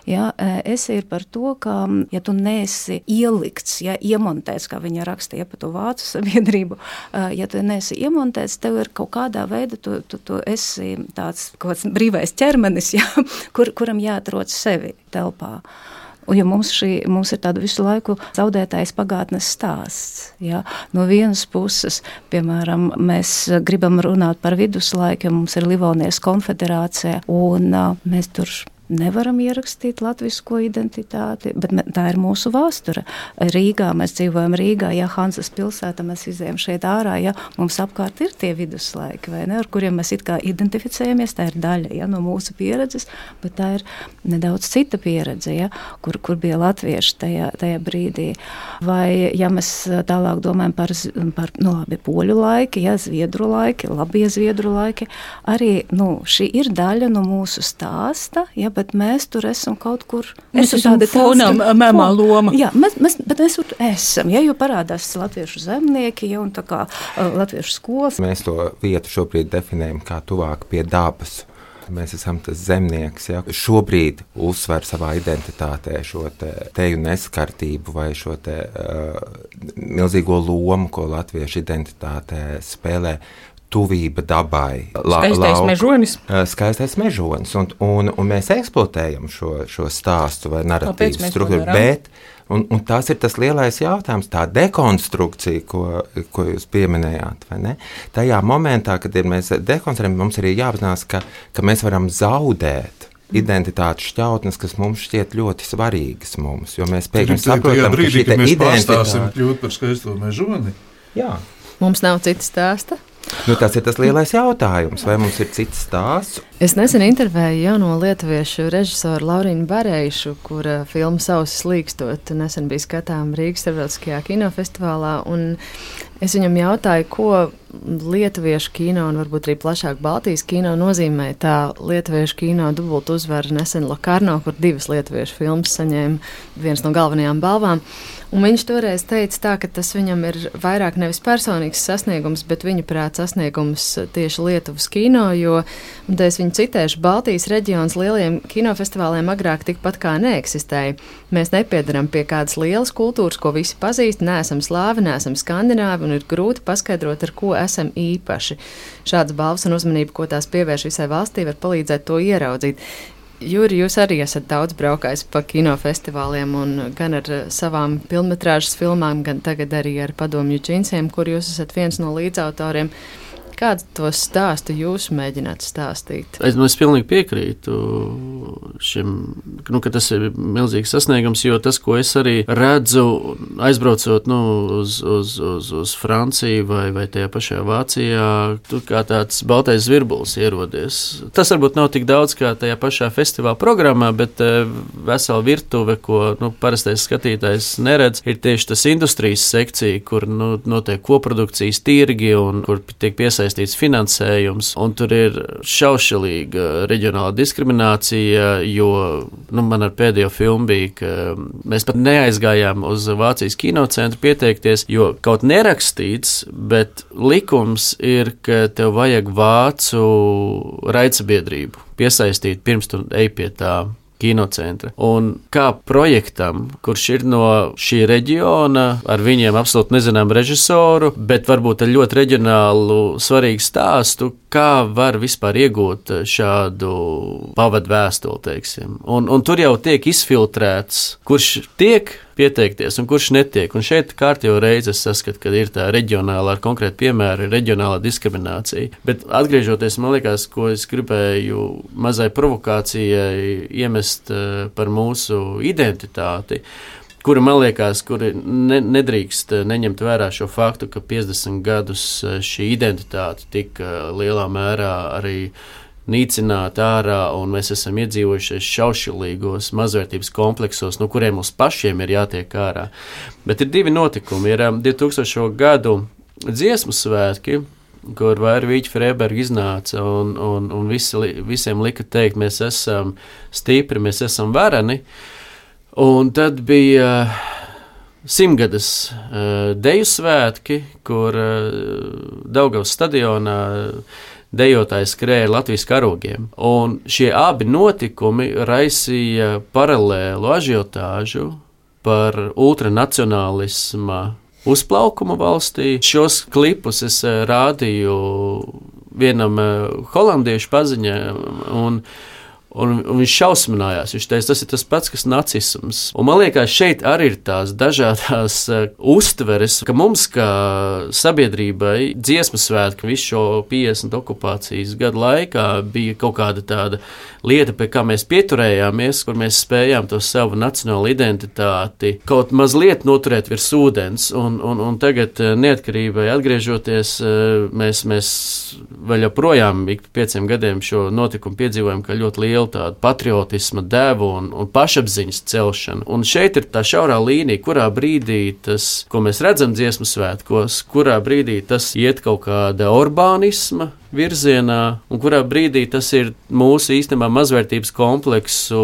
Ja, esi ir par to, ka, ja tu neesi ielikts, ja iemontēts, kā viņa rakstīja par to vācu sabiedrību, ja tu neesi iemontēts, tev ir kaut kādā veidā, tu esi tāds kaut kāds brīvais ķermenis, ja, kuram jāatrod sevi telpā. Jo mums ir tāda visu laiku zaudētājs pagātnes stāsts. Ja? No vienas puses, piemēram, mēs gribam runāt par viduslaiku, mums ir Livonijas konfederācija, un mēs tur nevaram ierakstīt latvisko identitāti, bet tā ir mūsu vēsture. Rīgā, mēs dzīvojam Rīgā, ja Hanzas pilsēta, mēs izējam šeit ārā, ja mums apkārt ir tie viduslaiki, vai ne, ar kuriem mēs it kā identificējamies, tā ir daļa, ja, no mūsu pieredzes, bet tā ir nedaudz cita pieredze, ja, kur bija latvieši tajā brīdī. Vai, ja mēs tālāk domājam par poļu laiki, ja, zviedru laiki, labie zviedru laiki, arī, šī ir daļa no mūsu stāsta, ja, bet mēs tur esam kaut kur. Mēs esam fonā, mēmā loma. Jā, bet mēs tur esam, ja, jo parādās latviešu zemnieki, ja, un tā kā latviešu skolas. Mēs to vietu šobrīd definējam kā tuvāk pie dabas. Mēs esam tas zemnieks, ja, šobrīd uzsver savā identitātē šo teju neskartību vai šo milzīgo lomu, ko latviešu identitātē spēlē. Tuvība dabai. Skaistais mežonis. Un mēs eksploatējam šo stāstu vai narratīvu struktūru. Bet, un tas ir tas lielais jautājums, tā dekonstrukcija, ko jūs pieminējāt, vai ne? Tajā momentā, kad mēs dekonstruējam, mums arī jāapzinās, ka mēs varam zaudēt identitātes šķautnes, kas mums šķiet ļoti svarīgas mums, jo mēs pēkšņi saprotam, ka šī identitāte... Mēs pārstāsim kļūt par skaisto mežoni? Jā. Mums nav cita stāsta? Tas ir tas lielais jautājums, vai mums ir cits stāsts? Es nesen intervēju jauno lietuviešu režisoru Laurīnu Bareišu, kura filma Sausis līkstot nesen bija skatām Rīgas starptautiskajā kinofestivālā, un es viņam jautāju, ko lietuviešu kino un varbūt arī plašāk Baltijas kino nozīmē tā lietuviešu kino dubultu uzvara nesen Lokarno, kur 2 lietuviešu filmas saņēma viens no galvenajām balvām. Un viņš toreiz teica tā, ka tas viņam ir vairāk nevis personīgs sasniegums, bet viņa prāt sasniegums tieši Lietuvas kino, jo, un te es viņu citēšu, Baltijas reģions lieliem kinofestivāliem agrāk tikpat kā neeksistēja. Mēs nepiedaram pie kādas lielas kultūras, ko visi pazīst, neesam slāvi, neesam skandināvi, un ir grūti paskaidrot, ar ko esam īpaši. Šādas balvas un uzmanība, ko tās pievērš visai valstī, var palīdzēt to ieraudzīt. Juri, jūs arī esat daudz braukājis pa kinofestivāliem un gan ar savām filmmetrāžas filmām, gan tagad arī ar Padomju džinsiem, kur jūs esat viens no līdzautoriem. Kādu to stāstu jūs mēģināt stāstīt? Es pilnīgi piekrītu šim, ka tas ir milzīgs sasniegums, jo tas, ko es arī redzu, aizbraucot uz Franciju vai tajā pašā Vācijā, tur kā tāds baltais zvirbulis ierodies. Tas varbūt nav tik daudz kā tajā pašā festivāla programmā, bet vesela virtuve, ko parastais skatītājs neredz, ir tieši tas industrijas sekcija, kur notiek koprodukcijas tirgi un kur tiek piesaistīts finansējums, un tur ir šaušalīga reģionāla diskriminācija, jo man ar pēdējo filmu bija, ka mēs pat neaizgājām uz Vācijas kinocentru pieteikties, jo kaut nerakstīts, bet likums ir, ka tev vajag vācu raidsabiedrību piesaistīt pirms tu ej pie tā kinocentra. Un kā projektam, kurš ir no šī reģiona, ar viņiem absolūti nezinām režisoru, bet varbūt ar ļoti reģionālu svarīgu stāstu, kā var vispār iegūt šādu pavadu vēstuli, teiksim. Un tur jau tiek izfiltrēts, kurš tiek pieteikties un kurš netiek. Un šeit kārtējo reizi es saskatu, ka ir tā reģionāla, ar konkrētu piemēru, reģionāla diskriminācija. Bet atgriežoties, man liekas, ko es gribēju mazai provokācijai iemest par mūsu identitāti, kura, man liekas, kuri nedrīkst neņemt vērā šo faktu, ka 50 gadus šī identitāte tika lielā mērā arī nīcināta ārā, un mēs esam iedzīvojušies šaušalīgos mazvērtības kompleksos, no kuriem mums pašiem ir jātiek ārā. Bet ir 2 notikumi. Ir 2000. gadu dziesmu svētki, kur Vīķa Freiberga iznāca un visiem lika teikt, mēs esam stipri, mēs esam vareni. Un tad bija 100-gadas deju svētki, kur Daugavas stadionā dejotāji skrēja Latvijas karogiem. Un šie abi notikumi raisīja paralēlu ažiotāžu par ultranacionālisma uzplaukumu valstī. Šos klipus es rādīju vienam holandiešu paziņam, un viņš šausminājās. Viņš teica, tas ir tas pats, kas nacisms. Un man liekas, šeit arī ir tās dažādās uztveres, ka mums kā sabiedrībai dziesmu svētki visu šo 50 okupācijas gadu laikā bija kaut kāda tāda lieta, pie kā mēs pieturējāmies, kur mēs spējām to savu nacionālu identitāti kaut mazliet noturēt virs ūdens. Un tagad neatkarībai atgriežoties, mēs vēl joprojām ik 5 gadiem šo notikumu piedzīvojam, ka ļoti liela tāda patriotisma devu un pašapziņas celšana. Un šeit ir tā šaurā līnija, kurā brīdī tas, ko mēs redzam dziesmu svētkos, kurā brīdī tas iet kaut kāda orbānisma virzienā, un kurā brīdī tas ir mūsu īstenībā mazvērtības kompleksu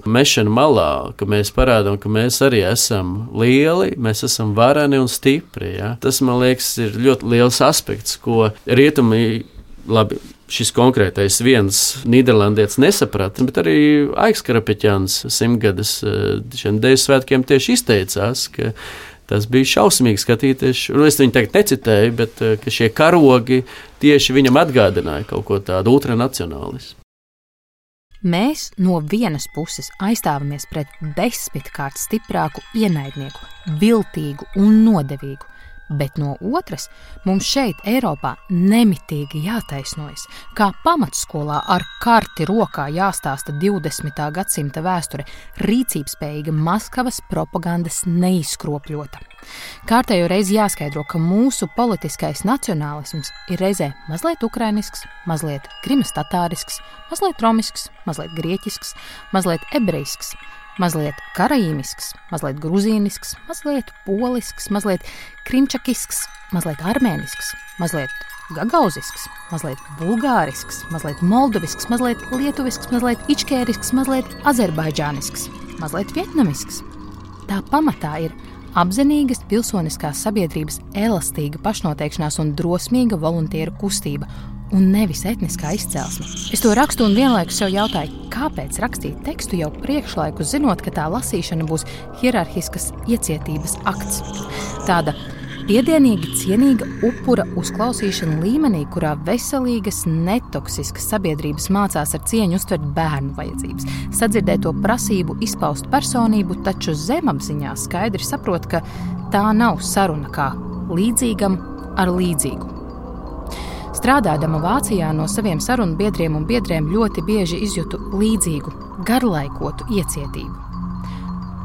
mešana malā, ka mēs parādām, ka mēs arī esam lieli, mēs esam vareni un stipri. Ja? Tas, man liekas, ir ļoti liels aspekts, ko rietumi, labi, šis konkrētais viens nīderlandietis nesaprata, bet arī Aiks Karapeķāns 100-gadas šiem deju svētkiem tieši izteicās, ka tas bija šausmīgi skatīties. Es viņu tagad necitēju, bet ka šie karogi tieši viņam atgādināja kaut ko tādu ultranacionālismu. Mēs no vienas puses aizstāvamies pret 10-kārt stiprāku ienaidnieku, viltīgu un nodevīgu, bet no otras mums šeit Eiropā nemitīgi jātaisnojas, kā pamatskolā ar karti rokā jāstāsta 20. gadsimta vēsture, rīcībspējīga Maskavas propagandas neizkropļota. Kārtējo reizi jāskaidro, ka mūsu politiskais nacionālisms ir reizē mazliet ukrainisks, mazliet krimas-tatārisks, mazliet romisks, mazliet grieķisks, mazliet ebrejisks, mazliet karaīmisks, mazliet gruzīnisks, mazliet polisks, mazliet krimčakisks, mazliet armēnisks, mazliet gagauzisks, mazliet bulgārisks, mazliet moldovisks, mazliet lietuvisks, mazliet ičkērisks, mazliet azerbaidžānisks, mazliet vietnamisks. Tā pamatā ir apzinīgas pilsoniskās sabiedrības elastīga pašnoteikšanās un drosmīga voluntīru kustība, un nevis etniskā izcelsme. Es to rakstu un vienlaikus sev jautāju, kāpēc rakstīt tekstu jau priekšlaikus, zinot, ka tā lasīšana būs hierarhiskas iecietības akts. Tāda piedienīgi cienīga upura uzklausīšana līmenī, kurā veselīgas, netoksiskas sabiedrības mācās ar cieņu uztvert bērnu vajadzības, sadzirdēt to prasību izpaust personību, taču zemapziņā skaidri saprot, ka tā nav saruna kā līdzīgam ar līdzīgu. Strādādama Vācijā no saviem sarunu biedriem un biedrēm ļoti bieži izjūtu līdzīgu, garlaikotu iecietību.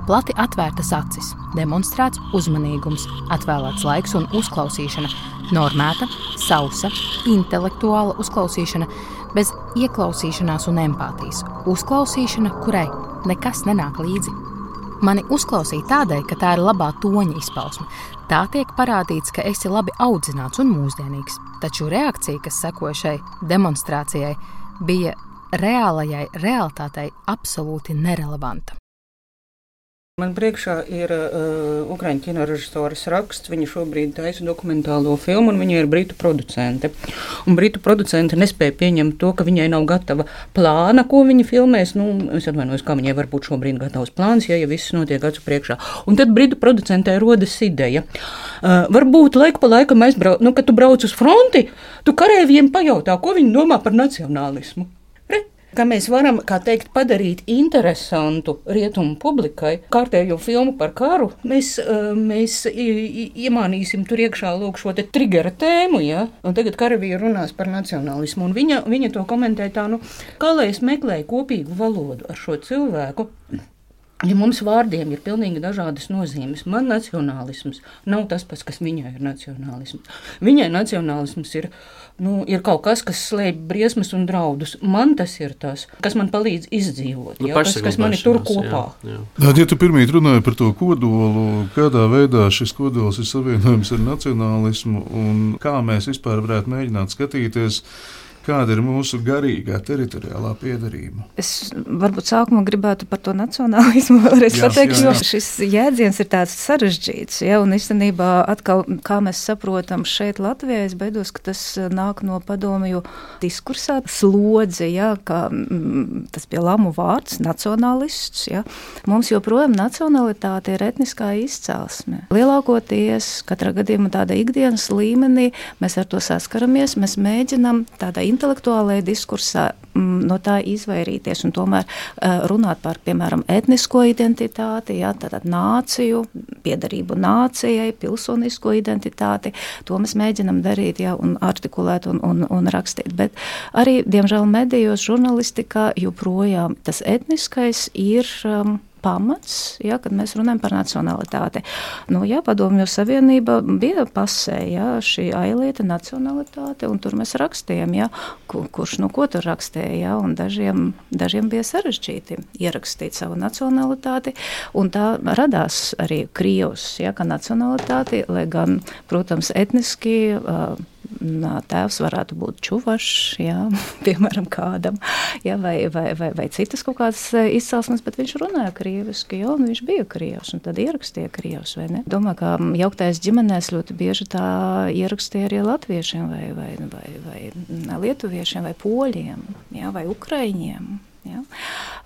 Plati atvērtas acis, demonstrēts uzmanīgums, atvēlēts laiks un uzklausīšana, normēta, sausa, intelektuāla uzklausīšana, bez ieklausīšanās un empātijas, uzklausīšana, kurai nekas nenāk līdzi. Mani uzklausīja tādēļ, ka tā ir labā toņa izpausme. Tā tiek parādīts, ka esi labi audzināts un mūsdienīgs, taču reakcija, kas sekoja šai demonstrācijai, bija reālajai realitātei absolūti nerelevanta. Man priekšā ir ukraiņu kinorežisoras raksts. Viņa šobrīd taisa dokumentālo filmu, un viņa ir britu producente. Un britu producente nespēja pieņemt to, ka viņai nav gatava plāna, ko viņa filmēs. Es atvainojos, kā viņai var būt šobrīd gatavs plāns, ja viss notiek acu priekšā. Un tad britu producentei rodas ideja. Varbūt laiku pa laikam kad tu brauc uz fronti, tu kareiviem pajautā, ko viņi domā par nacionālismu. Kā mēs varam, kā teikt, padarīt interesantu rietumu publikai kārtējo filmu par karu, mēs iemānīsim tur iekšā lūk šo te trigera tēmu, ja? Un tagad karavīri runās par nacionālismu, un viņa to komentē tā, kā lai es meklēju kopīgu valodu ar šo cilvēku, Ja mums vārdiem ir pilnīgi dažādas nozīmes. Man nacionālisms nav tas pats, kas viņai ir nacionālisms. Viņai nacionālisms ir kaut kas, kas slēpj briesmas un draudus. Man tas ir tas, kas man palīdz izdzīvot, kas mani tur kopā. Jā. Ja tu pirmīt runāji par to kodolu, kādā veidā šis kodols ir savienojums ar nacionālismu un kā mēs vispār varētu mēģināt skatīties, kāda ir mūsu garīgā teritoriālā piederība? Es varbūt sākumā gribētu par to nacionālismu vēlreiz pateikt, jo šis jēdziens ir tāds sarežģīts, un īstenībā atkal, kā mēs saprotam šeit Latvijā, es beidos, ka tas nāk no padomju diskursā, slodzi, kā tas bija lamu vārds, nacionālists, Mums joprojām nacionalitāte ir etniskā izcelsme. Lielākoties, katrā gadījumā tāda ikdienas līmenī, mēs ar to saskaramies, mēs mēģinam tādā intelektuālajā diskursā no tā izvairīties un tomēr runāt par, piemēram, etnisko identitāti, tātad nāciju, piederību nācijai, pilsonisko identitāti. To mēs mēģinam darīt, un artikulēt un rakstīt. Bet arī, diemžēl, medijos, žurnalistikā joprojām tas etniskais ir pamats, kad mēs runājam par nacionalitāti. Padomju Savienība bija pasē, šī ailieta nacionalitāte, un tur mēs rakstījām, kurš ko tur rakstīja, un dažiem bija sarežģīti ierakstīt savu nacionalitāti, un tā radās arī Krievs, kā nacionalitāti, lai gan, protams, etniski tēvs varētu būt čuvašs, piemēram, kādam, vai citas kaut kādas izcelsmes, bet viņš runāja krieviski, un viņš bija krievs, un tad ierakstīja krievs, vai ne? Domāju, ka jauktais ģimenēs ļoti bieži tā ierakstīja arī latviešiem, vai lietuviešiem, vai poļiem, vai ukraiņiem.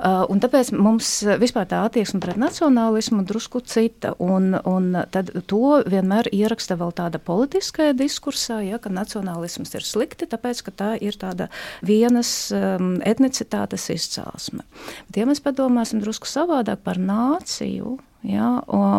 Un tāpēc mums vispār tā attieksme pret nacionālismu drusku cita, un tad to vienmēr ieraksta vēl tāda politiskajā diskursā, ka nacionālisms ir slikti, tāpēc, ka tā ir tāda vienas etnicitātes izcelsme. Bet, ja mēs padomāsim drusku savādāk par nāciju,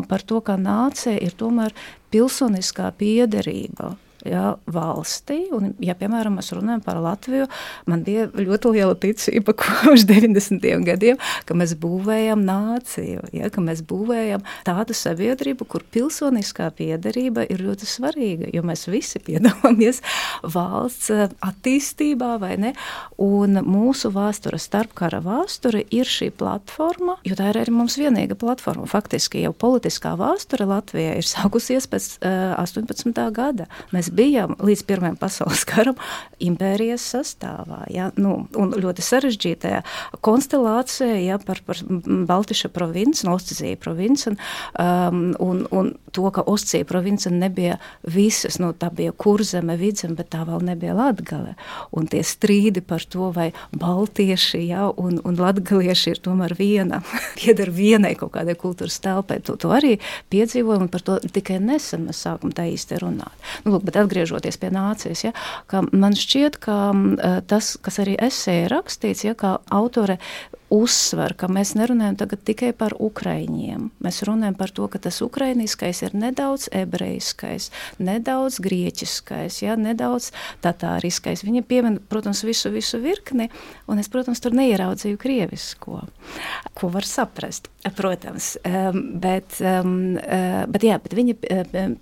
par to, ka nācija ir tomēr pilsoniskā piederība, valstī, un, piemēram, mēs runājam par Latviju, man bija ļoti liela ticība kopš 90. gadiem, ka mēs būvējam nāciju, ka mēs būvējam tādu sabiedrību, kur pilsoniskā piederība ir ļoti svarīga, jo mēs visi piedalāmies valsts attīstībā, vai ne? Un mūsu vēsture, starpkara vēsture, ir šī platforma, jo tā ir arī mums vienīga platforma. Faktiski jau politiskā vēsture Latvijā ir sākusies pēc 18. gada. Mēs bijām līdz Pirmajam pasaules karam impērijas sastāvā, un ļoti sarežģītajā konstelācijā, par Baltiša provinci, Oscija provinci, un to, ka Oscija province nebija visas, tā bija Kurzeme, Vidzeme, bet tā vēl nebija Latgale. Un tie strīdi par to, vai baltieši, un latgalieši ir tomēr viena, pieder vienai kaut kādai kultūras telpai. To arī piedzīvojam, un par to tikai nesen mēs sākam tā īsti runāt. Bet atgriežoties pie nācijas, ka man šķiet, ka tas, kas arī esē rakstīts, kā autore uzsver, ka mēs nerunājam tagad tikai par ukraiņiem. Mēs runājam par to, ka tas ukrainiskais ir nedaudz ebrejiskais, nedaudz grieķiskais, nedaudz tatāriskais. Viņa piemin, protams, visu virkni, un es, protams, tur neieraudzīju krievisko, ko var saprast, protams. Bet viņa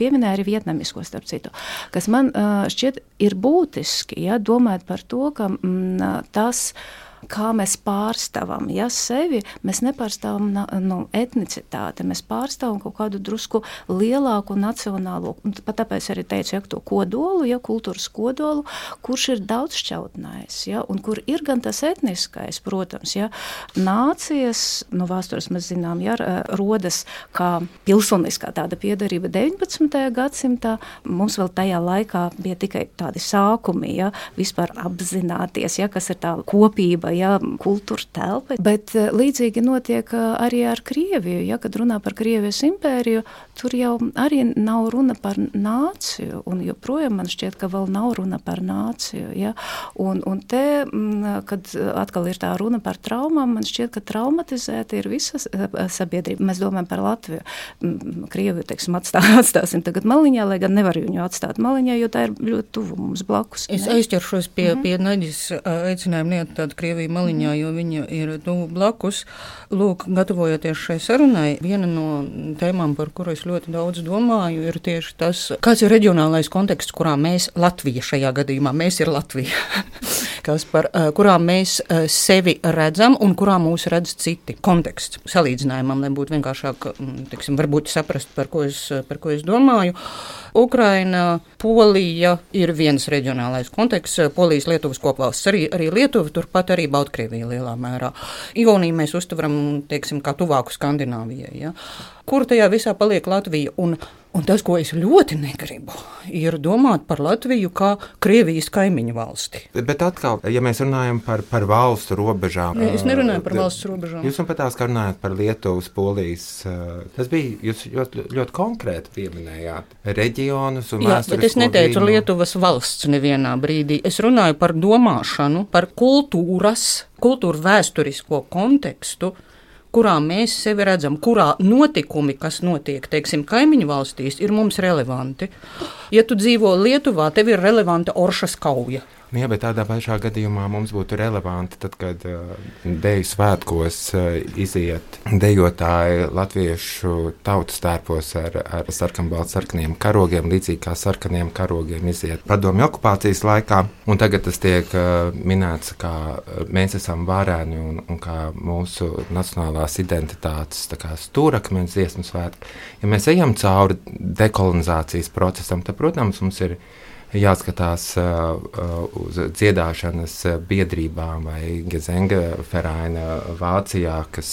pieminēja arī vietnamisko, starp citu, kas man šķiet ir būtiski, domājot par to, ka tas, kā mēs pārstāvam sevi, mēs nepārstāvam etnicitāti, mēs pārstāvam kaut kādu drusku lielāku nacionālo, pat tāpēc arī teicu, to kodolu, kultūras kodolu, kurš ir daudzšķautnējs, un kur ir gan tas etniskais, protams, nācijas, vēstures mēs zinām, rodas kā pilsoniskā tāda piederība 19. gadsimtā, mums vēl tajā laikā bija tikai tādi sākumi, vispār apzināties, kas ir tā kopība, kultūra telpa, bet līdzīgi notiek arī ar Krieviju, kad runā par Krievijas impēriju, tur jau arī nav runa par nāciju, un joprojām man šķiet, ka vēl nav runa par nāciju, un te, kad atkal ir tā runa par traumām, man šķiet, ka traumatizēta ir visa sabiedrība. Mēs domājam par Latviju. Krieviju, teiksim, atstāsim tagad maliņā, lai gan nevar viņu atstāt maliņā, jo tā ir ļoti tuvu mums blakus. Es aizķeršos pie Naģis aicinājuma neatstāt Krieviju Baltkrieviju maliņā, jo viņa ir tuvu blakus. Lūk, gatavojoties šai sarunai, viena no tēmām, par kuru es ļoti daudz domāju, ir tieši tas, kāds ir reģionālais konteksts, kurā mēs, Latvija šajā gadījumā, mēs ir Latvija, kurā mēs sevi redzam un kurā mūs redz citi. Konteksts salīdzinājumam, lai būtu vienkāršāk, teiksim, varbūt saprast, par ko es domāju. Ukraina, Polija ir viens reģionālais konteksts, Polijas, Lietuvas kopvalsts, arī Lietuva, turpat arī Baltkrievija lielā mērā. Igauniju mēs uztveram, teiksim, kā tuvāku Skandināvijai, ja? Kur tajā visā paliek Latvija? Un tas, ko es ļoti negribu, ir domāt par Latviju kā Krievijas kaimiņu valsti. Bet atkal, ja mēs runājam par valstu robežām. Es nerunāju par valsts robežām. Jūs man patās, ka runājat par Lietuvas, Polijas. Tas bija, jūs ļoti konkrēti pieminējāt reģionus un vēsturisko bet es neteicu vīnu. Lietuvas valsts nevienā brīdī. Es runāju par domāšanu, par kultūru vēsturisko kontekstu, kurā mēs sevi redzam, kurā notikumi, kas notiek, teiksim, kaimiņu valstīs, ir mums relevanti. Ja tu dzīvo Lietuvā, tev ir relevanta Oršas kauja. Jā, bet tādā pašā gadījumā mums būtu relevanti, tad, kad deju svētkos iziet dejotāji latviešu tautas tērpos ar sarkanbaltsarkaniem karogiem, līdzīgi kā sarkaniem karogiem iziet padomju okupācijas laikā. Un tagad tas tiek minēts, kā mēs esam vareni un kā mūsu nacionālās identitātes stūrakmeņa dziesmu svētki. Ja mēs ejam cauri dekolonizācijas procesam, tad, protams, mums ir jāskatās uz dziedāšanas biedrībām vai Gesengvereina Vācijā, kas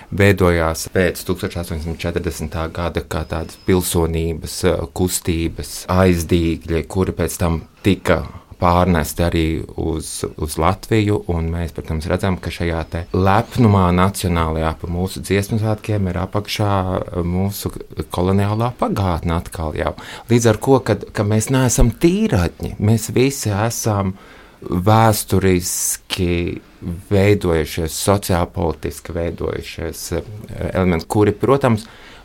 veidojās pēc 1840. gada kā tādas pilsonības kustības aizdīgļi, kuri pēc tam tika pārnesti arī uz Latviju, un mēs, protams, redzam, ka šajā te lepnumā nacionālajā pa mūsu dziesmu svētkiem ir apakšā mūsu koloniālā pagātne atkal jau. Līdz ar ko, ka mēs neesam tīratņi, mēs visi esam vēsturiski veidojušies, sociālpolitiski veidojušies elementi, kuri, protams,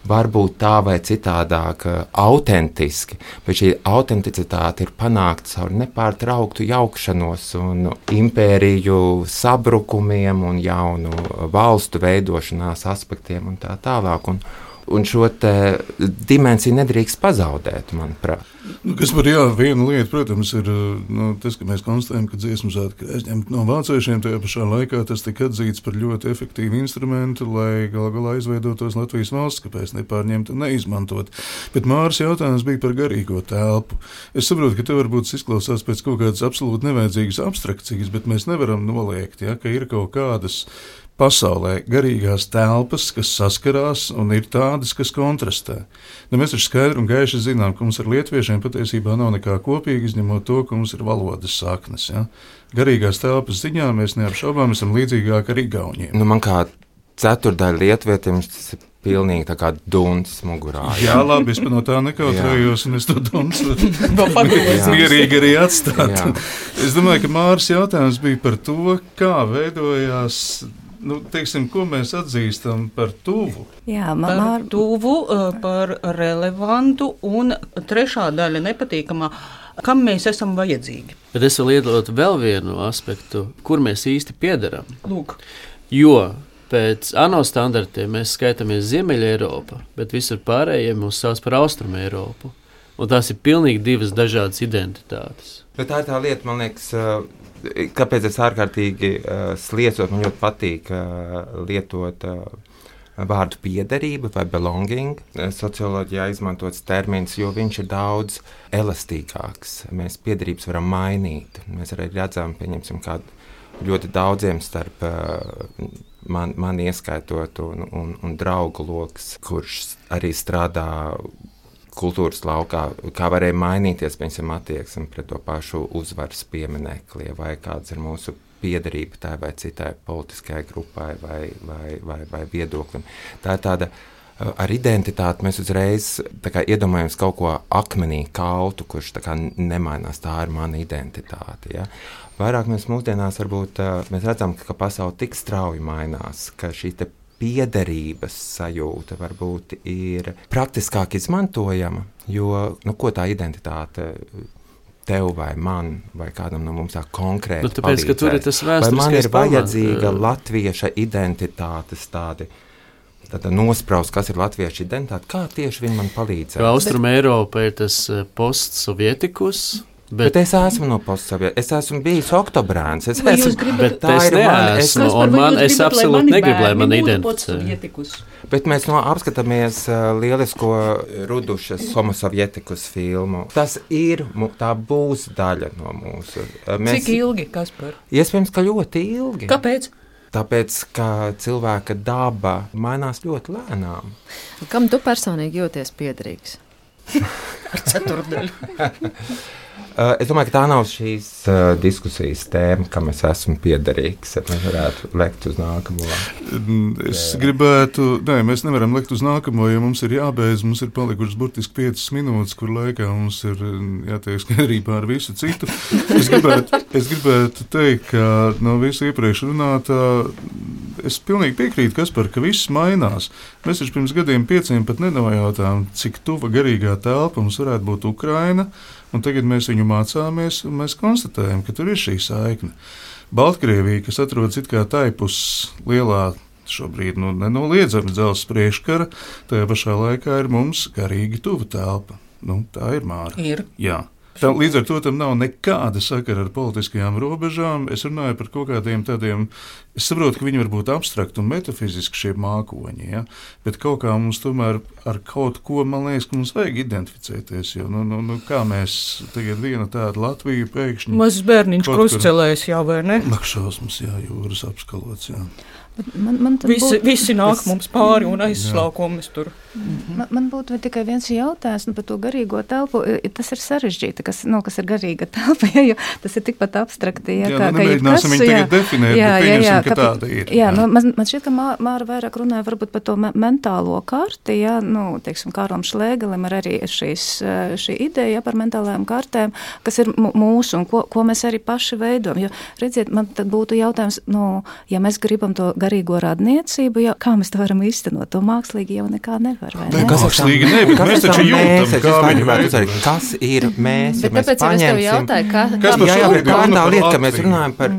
varbūt tā vai citādāk autentiski, bet šī autenticitāte ir panākta caur nepārtrauktu jaukšanos un impēriju sabrukumiem un jaunu valstu veidošanās aspektiem un tā tālāk. Un šo dimensiju nedrīkst pazaudēt, manuprāt. Kas par vienu lietu, protams, ir tas, ka mēs konstatējam, ka dziesmu svētki ir aizņemti no vāciešiem. Tajā pašā laikā tas tika atzīts par ļoti efektīvu instrumentu, lai galu galā izveidotos Latvijas valsts, kāpēc nepārņemt un neizmantot. Bet Māras jautājums bija par garīgo telpu. Es saprotu, ka te varbūt izklausās pēc kaut kādas absolūti nevajadzīgas abstrakcijas, bet mēs nevaram noliegt, ka ir kaut kādas pasaulē garīgās telpas, kas saskarās, un ir tādas, kas kontrastē. Mēs taču skaidri un gaiši zinām, ka mums ar lietuviešiem patiesībā nav nekā kopīga, izņemot to, ka mums ir valodas saknes. Ja? Garīgās telpas ziņā mēs neapšaubām esam līdzīgāki ar igauniem. Man kā ceturdaļa lietuvietim tas ir pilnīgi tā kā duncis mugurā. Jā, labi, es no tā nekautrējos, un es to dunci mierīgi arī atstāt. Es domāju, ka Māras jautājums bija par to, kā veidojās, teiksim, ko mēs atzīstam par tuvu. Jā, par tuvu, par relevantu, un trešā daļa nepatīkamā, kam mēs esam vajadzīgi. Bet es vēl iedot vēl vienu aspektu, kur mēs īsti piederam. Lūk. Jo pēc ANO standartiem mēs skaitāmies Ziemeļa Eiropa, bet visur pārējie mūs sauc par Austrumu Eiropu. Un tās ir pilnīgi divas dažādas identitātes. Bet tā ir tā lieta, man liekas, kāpēc es ārkārtīgi sliecot, man ļoti patīk lietot vārdu piederība vai belonging. Socioloģijā izmantots termins, jo viņš ir daudz elastīgāks. Mēs piederības varam mainīt. Mēs arī redzam, pieņemsim, kādu ļoti daudziem starp man ieskaitot un draugu loks, kurš arī strādā kultūras laukā, kā varēja mainīties, piemēram, attieksme pret to pašu uzvaras pieminekli, vai kāds ir mūsu piederība tai vai citai politiskajai grupai vai viedoklim. Tā ir tāda, ar identitāti mēs uzreiz iedomājamies kaut ko akmenī kaltu, kurš nemainās, tā ir mana identitāte. Ja? Vairāk mēs mūsdienās varbūt mēs redzam, ka pasaule tik strauji mainās, ka šī te piederības sajūta varbūt ir praktiskāk izmantojama, jo, ko tā identitāte tev vai man, vai kādam no mums tā konkrēti Nu, tāpēc, ka tur ir tas vai man vēsturiskais ir vajadzīga latvieša identitātes tāda nospraust, kas ir latvieša identitāte, kā tieši viņi man palīdzēja. Austrum Eiropa ir tas postsovietikus. Bet es esmu no postsovietikas, es esmu bijis oktobrēns, es absolūti negribu, lai man identificē. Bet mēs apskatāmies lielisko Rudušas homosovietikus filmu. Tas ir, tā būs daļa no mūsu. Cik ilgi, Kaspar? Iespējams, ka ļoti ilgi. Kāpēc? Tāpēc, ka cilvēka daba mainās ļoti lēnām. Kam tu personīgi jūties piederīgs? Ar ceturdaļu. Es domāju, ka tā nav šīs diskusijas tēma, kam es esmu piederīgs. Mēs varētu lekt uz nākamo. Mēs nevaram lekt uz nākamo, jo mums ir jābeidz. Mums ir palikušas burtiski 5 minūtes, kur laikā mums ir jātiek skaidrībā ar visu citu. Es gribētu teikt, ka no visu iepriekš runātā es pilnīgi piekrītu, Kaspar, ka viss mainās. Mēs taču pirms gadiem 5 pat nenojautām, cik tuva garīgā telpa mums varētu būt Ukraina. Un tagad mēs viņu mācāmies, un mēs konstatējam, ka tur ir šī saikne. Baltkrievija, kas atrodas it kā taipus lielā, šobrīd nenoliedzami dzelzs priekškara, tajā pašā laikā ir mums garīgi tuva telpa. Tā ir Māra. Ir. Jā. Līdz ar to tam nav nekāda sakara ar politiskajām robežām. Es runāju par kaut kādiem tādiem, es saprotu, ka viņi var būt abstrakti un metafiziski šie mākoņi, ja? Bet kaut kā mums tomēr ar kaut ko, man liekas, ka mums vajag identificēties, jo kā mēs tagad viena tāda Latvija pēkšņi... Mazs bērniņš krustcelēs, jā, vai ne? Lakšausmas, jā, jūras apskalots, jā. Visi nāk mums pāri un aizslauko mēs tur. Man būtu tikai viens jautājums par to garīgo telpu. Tas ir sarežģīti, kas ir garīga telpa, jo tas ir tikpat abstrakti. Nemēģināsim viņu tagad definēt, bet pieņemsim, ka tāda ir. Man šķiet, ka Māra vairāk runāja varbūt par to mentālo karti, teiksim, Kāram Šlēgelim ir arī šī ideja par mentālajām kartēm, kas ir mūsu un ko mēs arī paši veidojam. Jo, redziet, man tad būtu jautājums, ja mēs gribam to garīgo radniecību, kā mēs to varam īstenot, to mākslīgi jau nekā nevar, vai ne? Mākslīgi ne, bet mēs taču jūtam, kā viņi vajag. Kas ir mēs? Bet tāpēc es tev jautāju, kā tā lieta, ka mēs runājam par,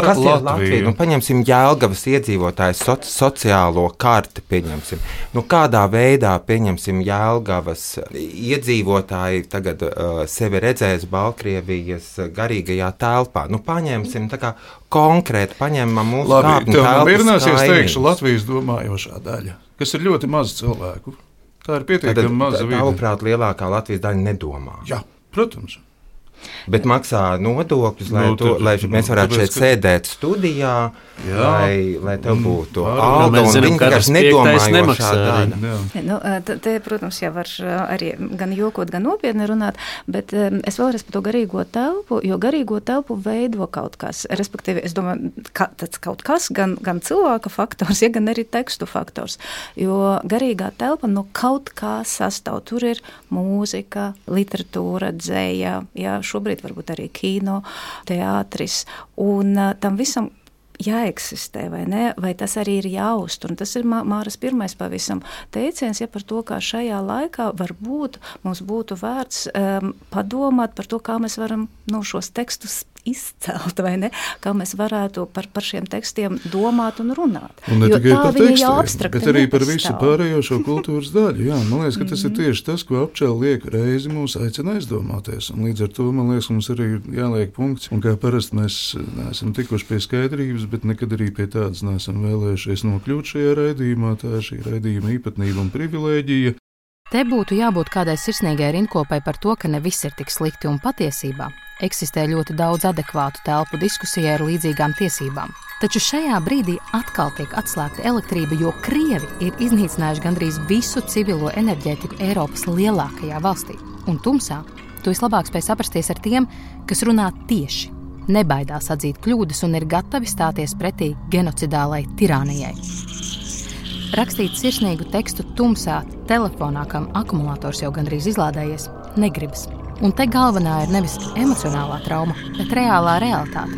kas ir Latvija? Paņemsim Jelgavas iedzīvotājs sociālo karti, pieņemsim. Kādā veidā, pieņemsim, Jelgavas iedzīvotāji tagad sevi redzēs Baltkrievijas garīgajā telpā. Paņemsim tā kā konkrēti, paņemam mūsu kāpņu telpas kaimiņus. Es teikšu Latvijas domājošā daļa, kas ir ļoti maz cilvēku. Tā ir pietiekami maza vide. Tavuprāt, lielākā Latvijas daļa nedomā. Jā, protams. Bet maksā nodokļus, lai mēs varētu šeit sēdēt studijā, lai tev būtu alga, un viņi vienkārši nedomājošā daļa. Te, protams, jau var arī gan jokot, gan nopietni runāt, bet es vēlreiz par to garīgo telpu, jo garīgo telpu veido kaut kas. Respektīvi, es domāju, tāds kaut kas, gan cilvēka faktors, gan arī tekstu faktors, jo garīgā telpa kaut kā sastāv. Tur ir mūzika, literatūra, dzeja, šobrīd varbūt arī kino, teātris, un tam visam jāeksistē, vai ne? Vai tas arī ir jāuztur? Un tas ir Māras pirmais pavisam teiciens, par to, kā šajā laikā varbūt mums būtu vērts padomāt par to, kā mēs varam šos tekstus izcelt, vai ne? Kā mēs varētu par šiem tekstiem domāt un runāt. Un ne tikai par tekstiem, bet arī par visu pārējo šo kultūras daļu. Jā, man liekas, ka tas ir tieši tas, ko Apčela liek reizi mūs aicina aizdomāties. Un līdz ar to, man liekas, mums arī jāliek punkts. Un kā parasti mēs neesam tikuši pie skaidrības, bet nekad arī pie tādas neesam vēlējušies nokļūt šajā raidījumā. Tā ir šī raidījuma īpatnība un privilēģija. Te būtu jābūt kādai sirsnīgai rindkopai par to, ka ne viss ir tik slikti un patiesībā eksistē ļoti daudz adekvātu telpu diskusijai ar līdzīgām tiesībām. Taču šajā brīdī atkal tiek atslēgta elektrība, jo Krievi ir iznīcinājuši gandrīz visu civilo enerģētiku Eiropas lielākajā valstī. Un tumsā tu vislabāk spēj saprasties ar tiem, kas runā tieši, nebaidās atzīt kļūdas un ir gatavi stāties pretī genocidālai tirānijai. Rakstīt sirsnīgu tekstu tumsā telefonā, kam akumulators jau gandrīz izlādējies, negribas. Un te galvenā ir nevis emocionālā trauma, bet reālā realitāte.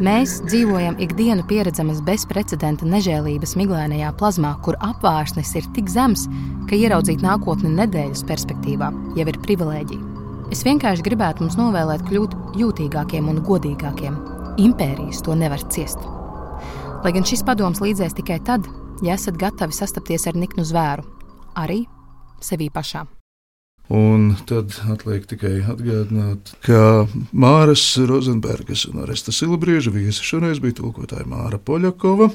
Mēs dzīvojam ikdienu pieredzamas bezprecedenta nežēlības miglēnajā plazmā, kur apvārsnes ir tik zems, ka ieraudzīt nākotni nedēļas perspektīvā jau ir privilēģija. Es vienkārši gribētu mums novēlēt kļūt jūtīgākiem un godīgākiem. Impērijas to nevar ciest. Lai gan šis padoms līdzēs tikai tad, ja esat gatavi sastapties ar niknu zvēru, arī sevī pašām. Un tad atliek tikai atgādināt, ka Māras Rozenbergas un Oresta Silabrieža viesi šoreiz bija tulkotāja Māra Poļakova,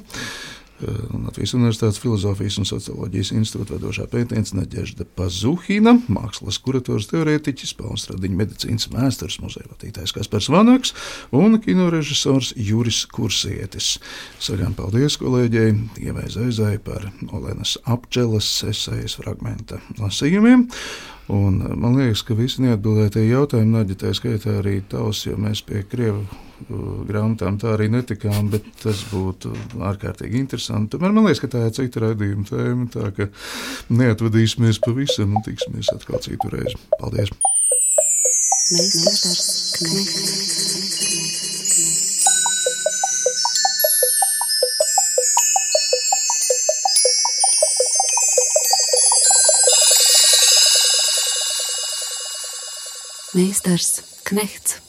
Latvijas Universitātes Filozofijas un socioloģijas institūta vadošā pētniece Nadežda Pazuhina, mākslas kurators teorētiķis, Pauls Stradiņa medicīnas vēstures muzeja vadītājs Kaspars Vanaks un kinorežisors Juris Kursietis. Sakām paldies kolēģei Ievai Zaizai par Olenas Apčelas esejas fragmenta lasījumiem. Un man liekas, ka visi neatbildētie jautājumi, Naģa, tā skaitā arī tavs, jo mēs pie krievu grāmatām tā arī netikām, bet tas būtu ārkārtīgi interesanti. Tomēr man liekas, ka tā ir cita raidījuma tēma, tā ka neatvadīsimies pavisam un tiksimies atkal citu reizi. Paldies! Meistars Knechts. Meistars Knechts.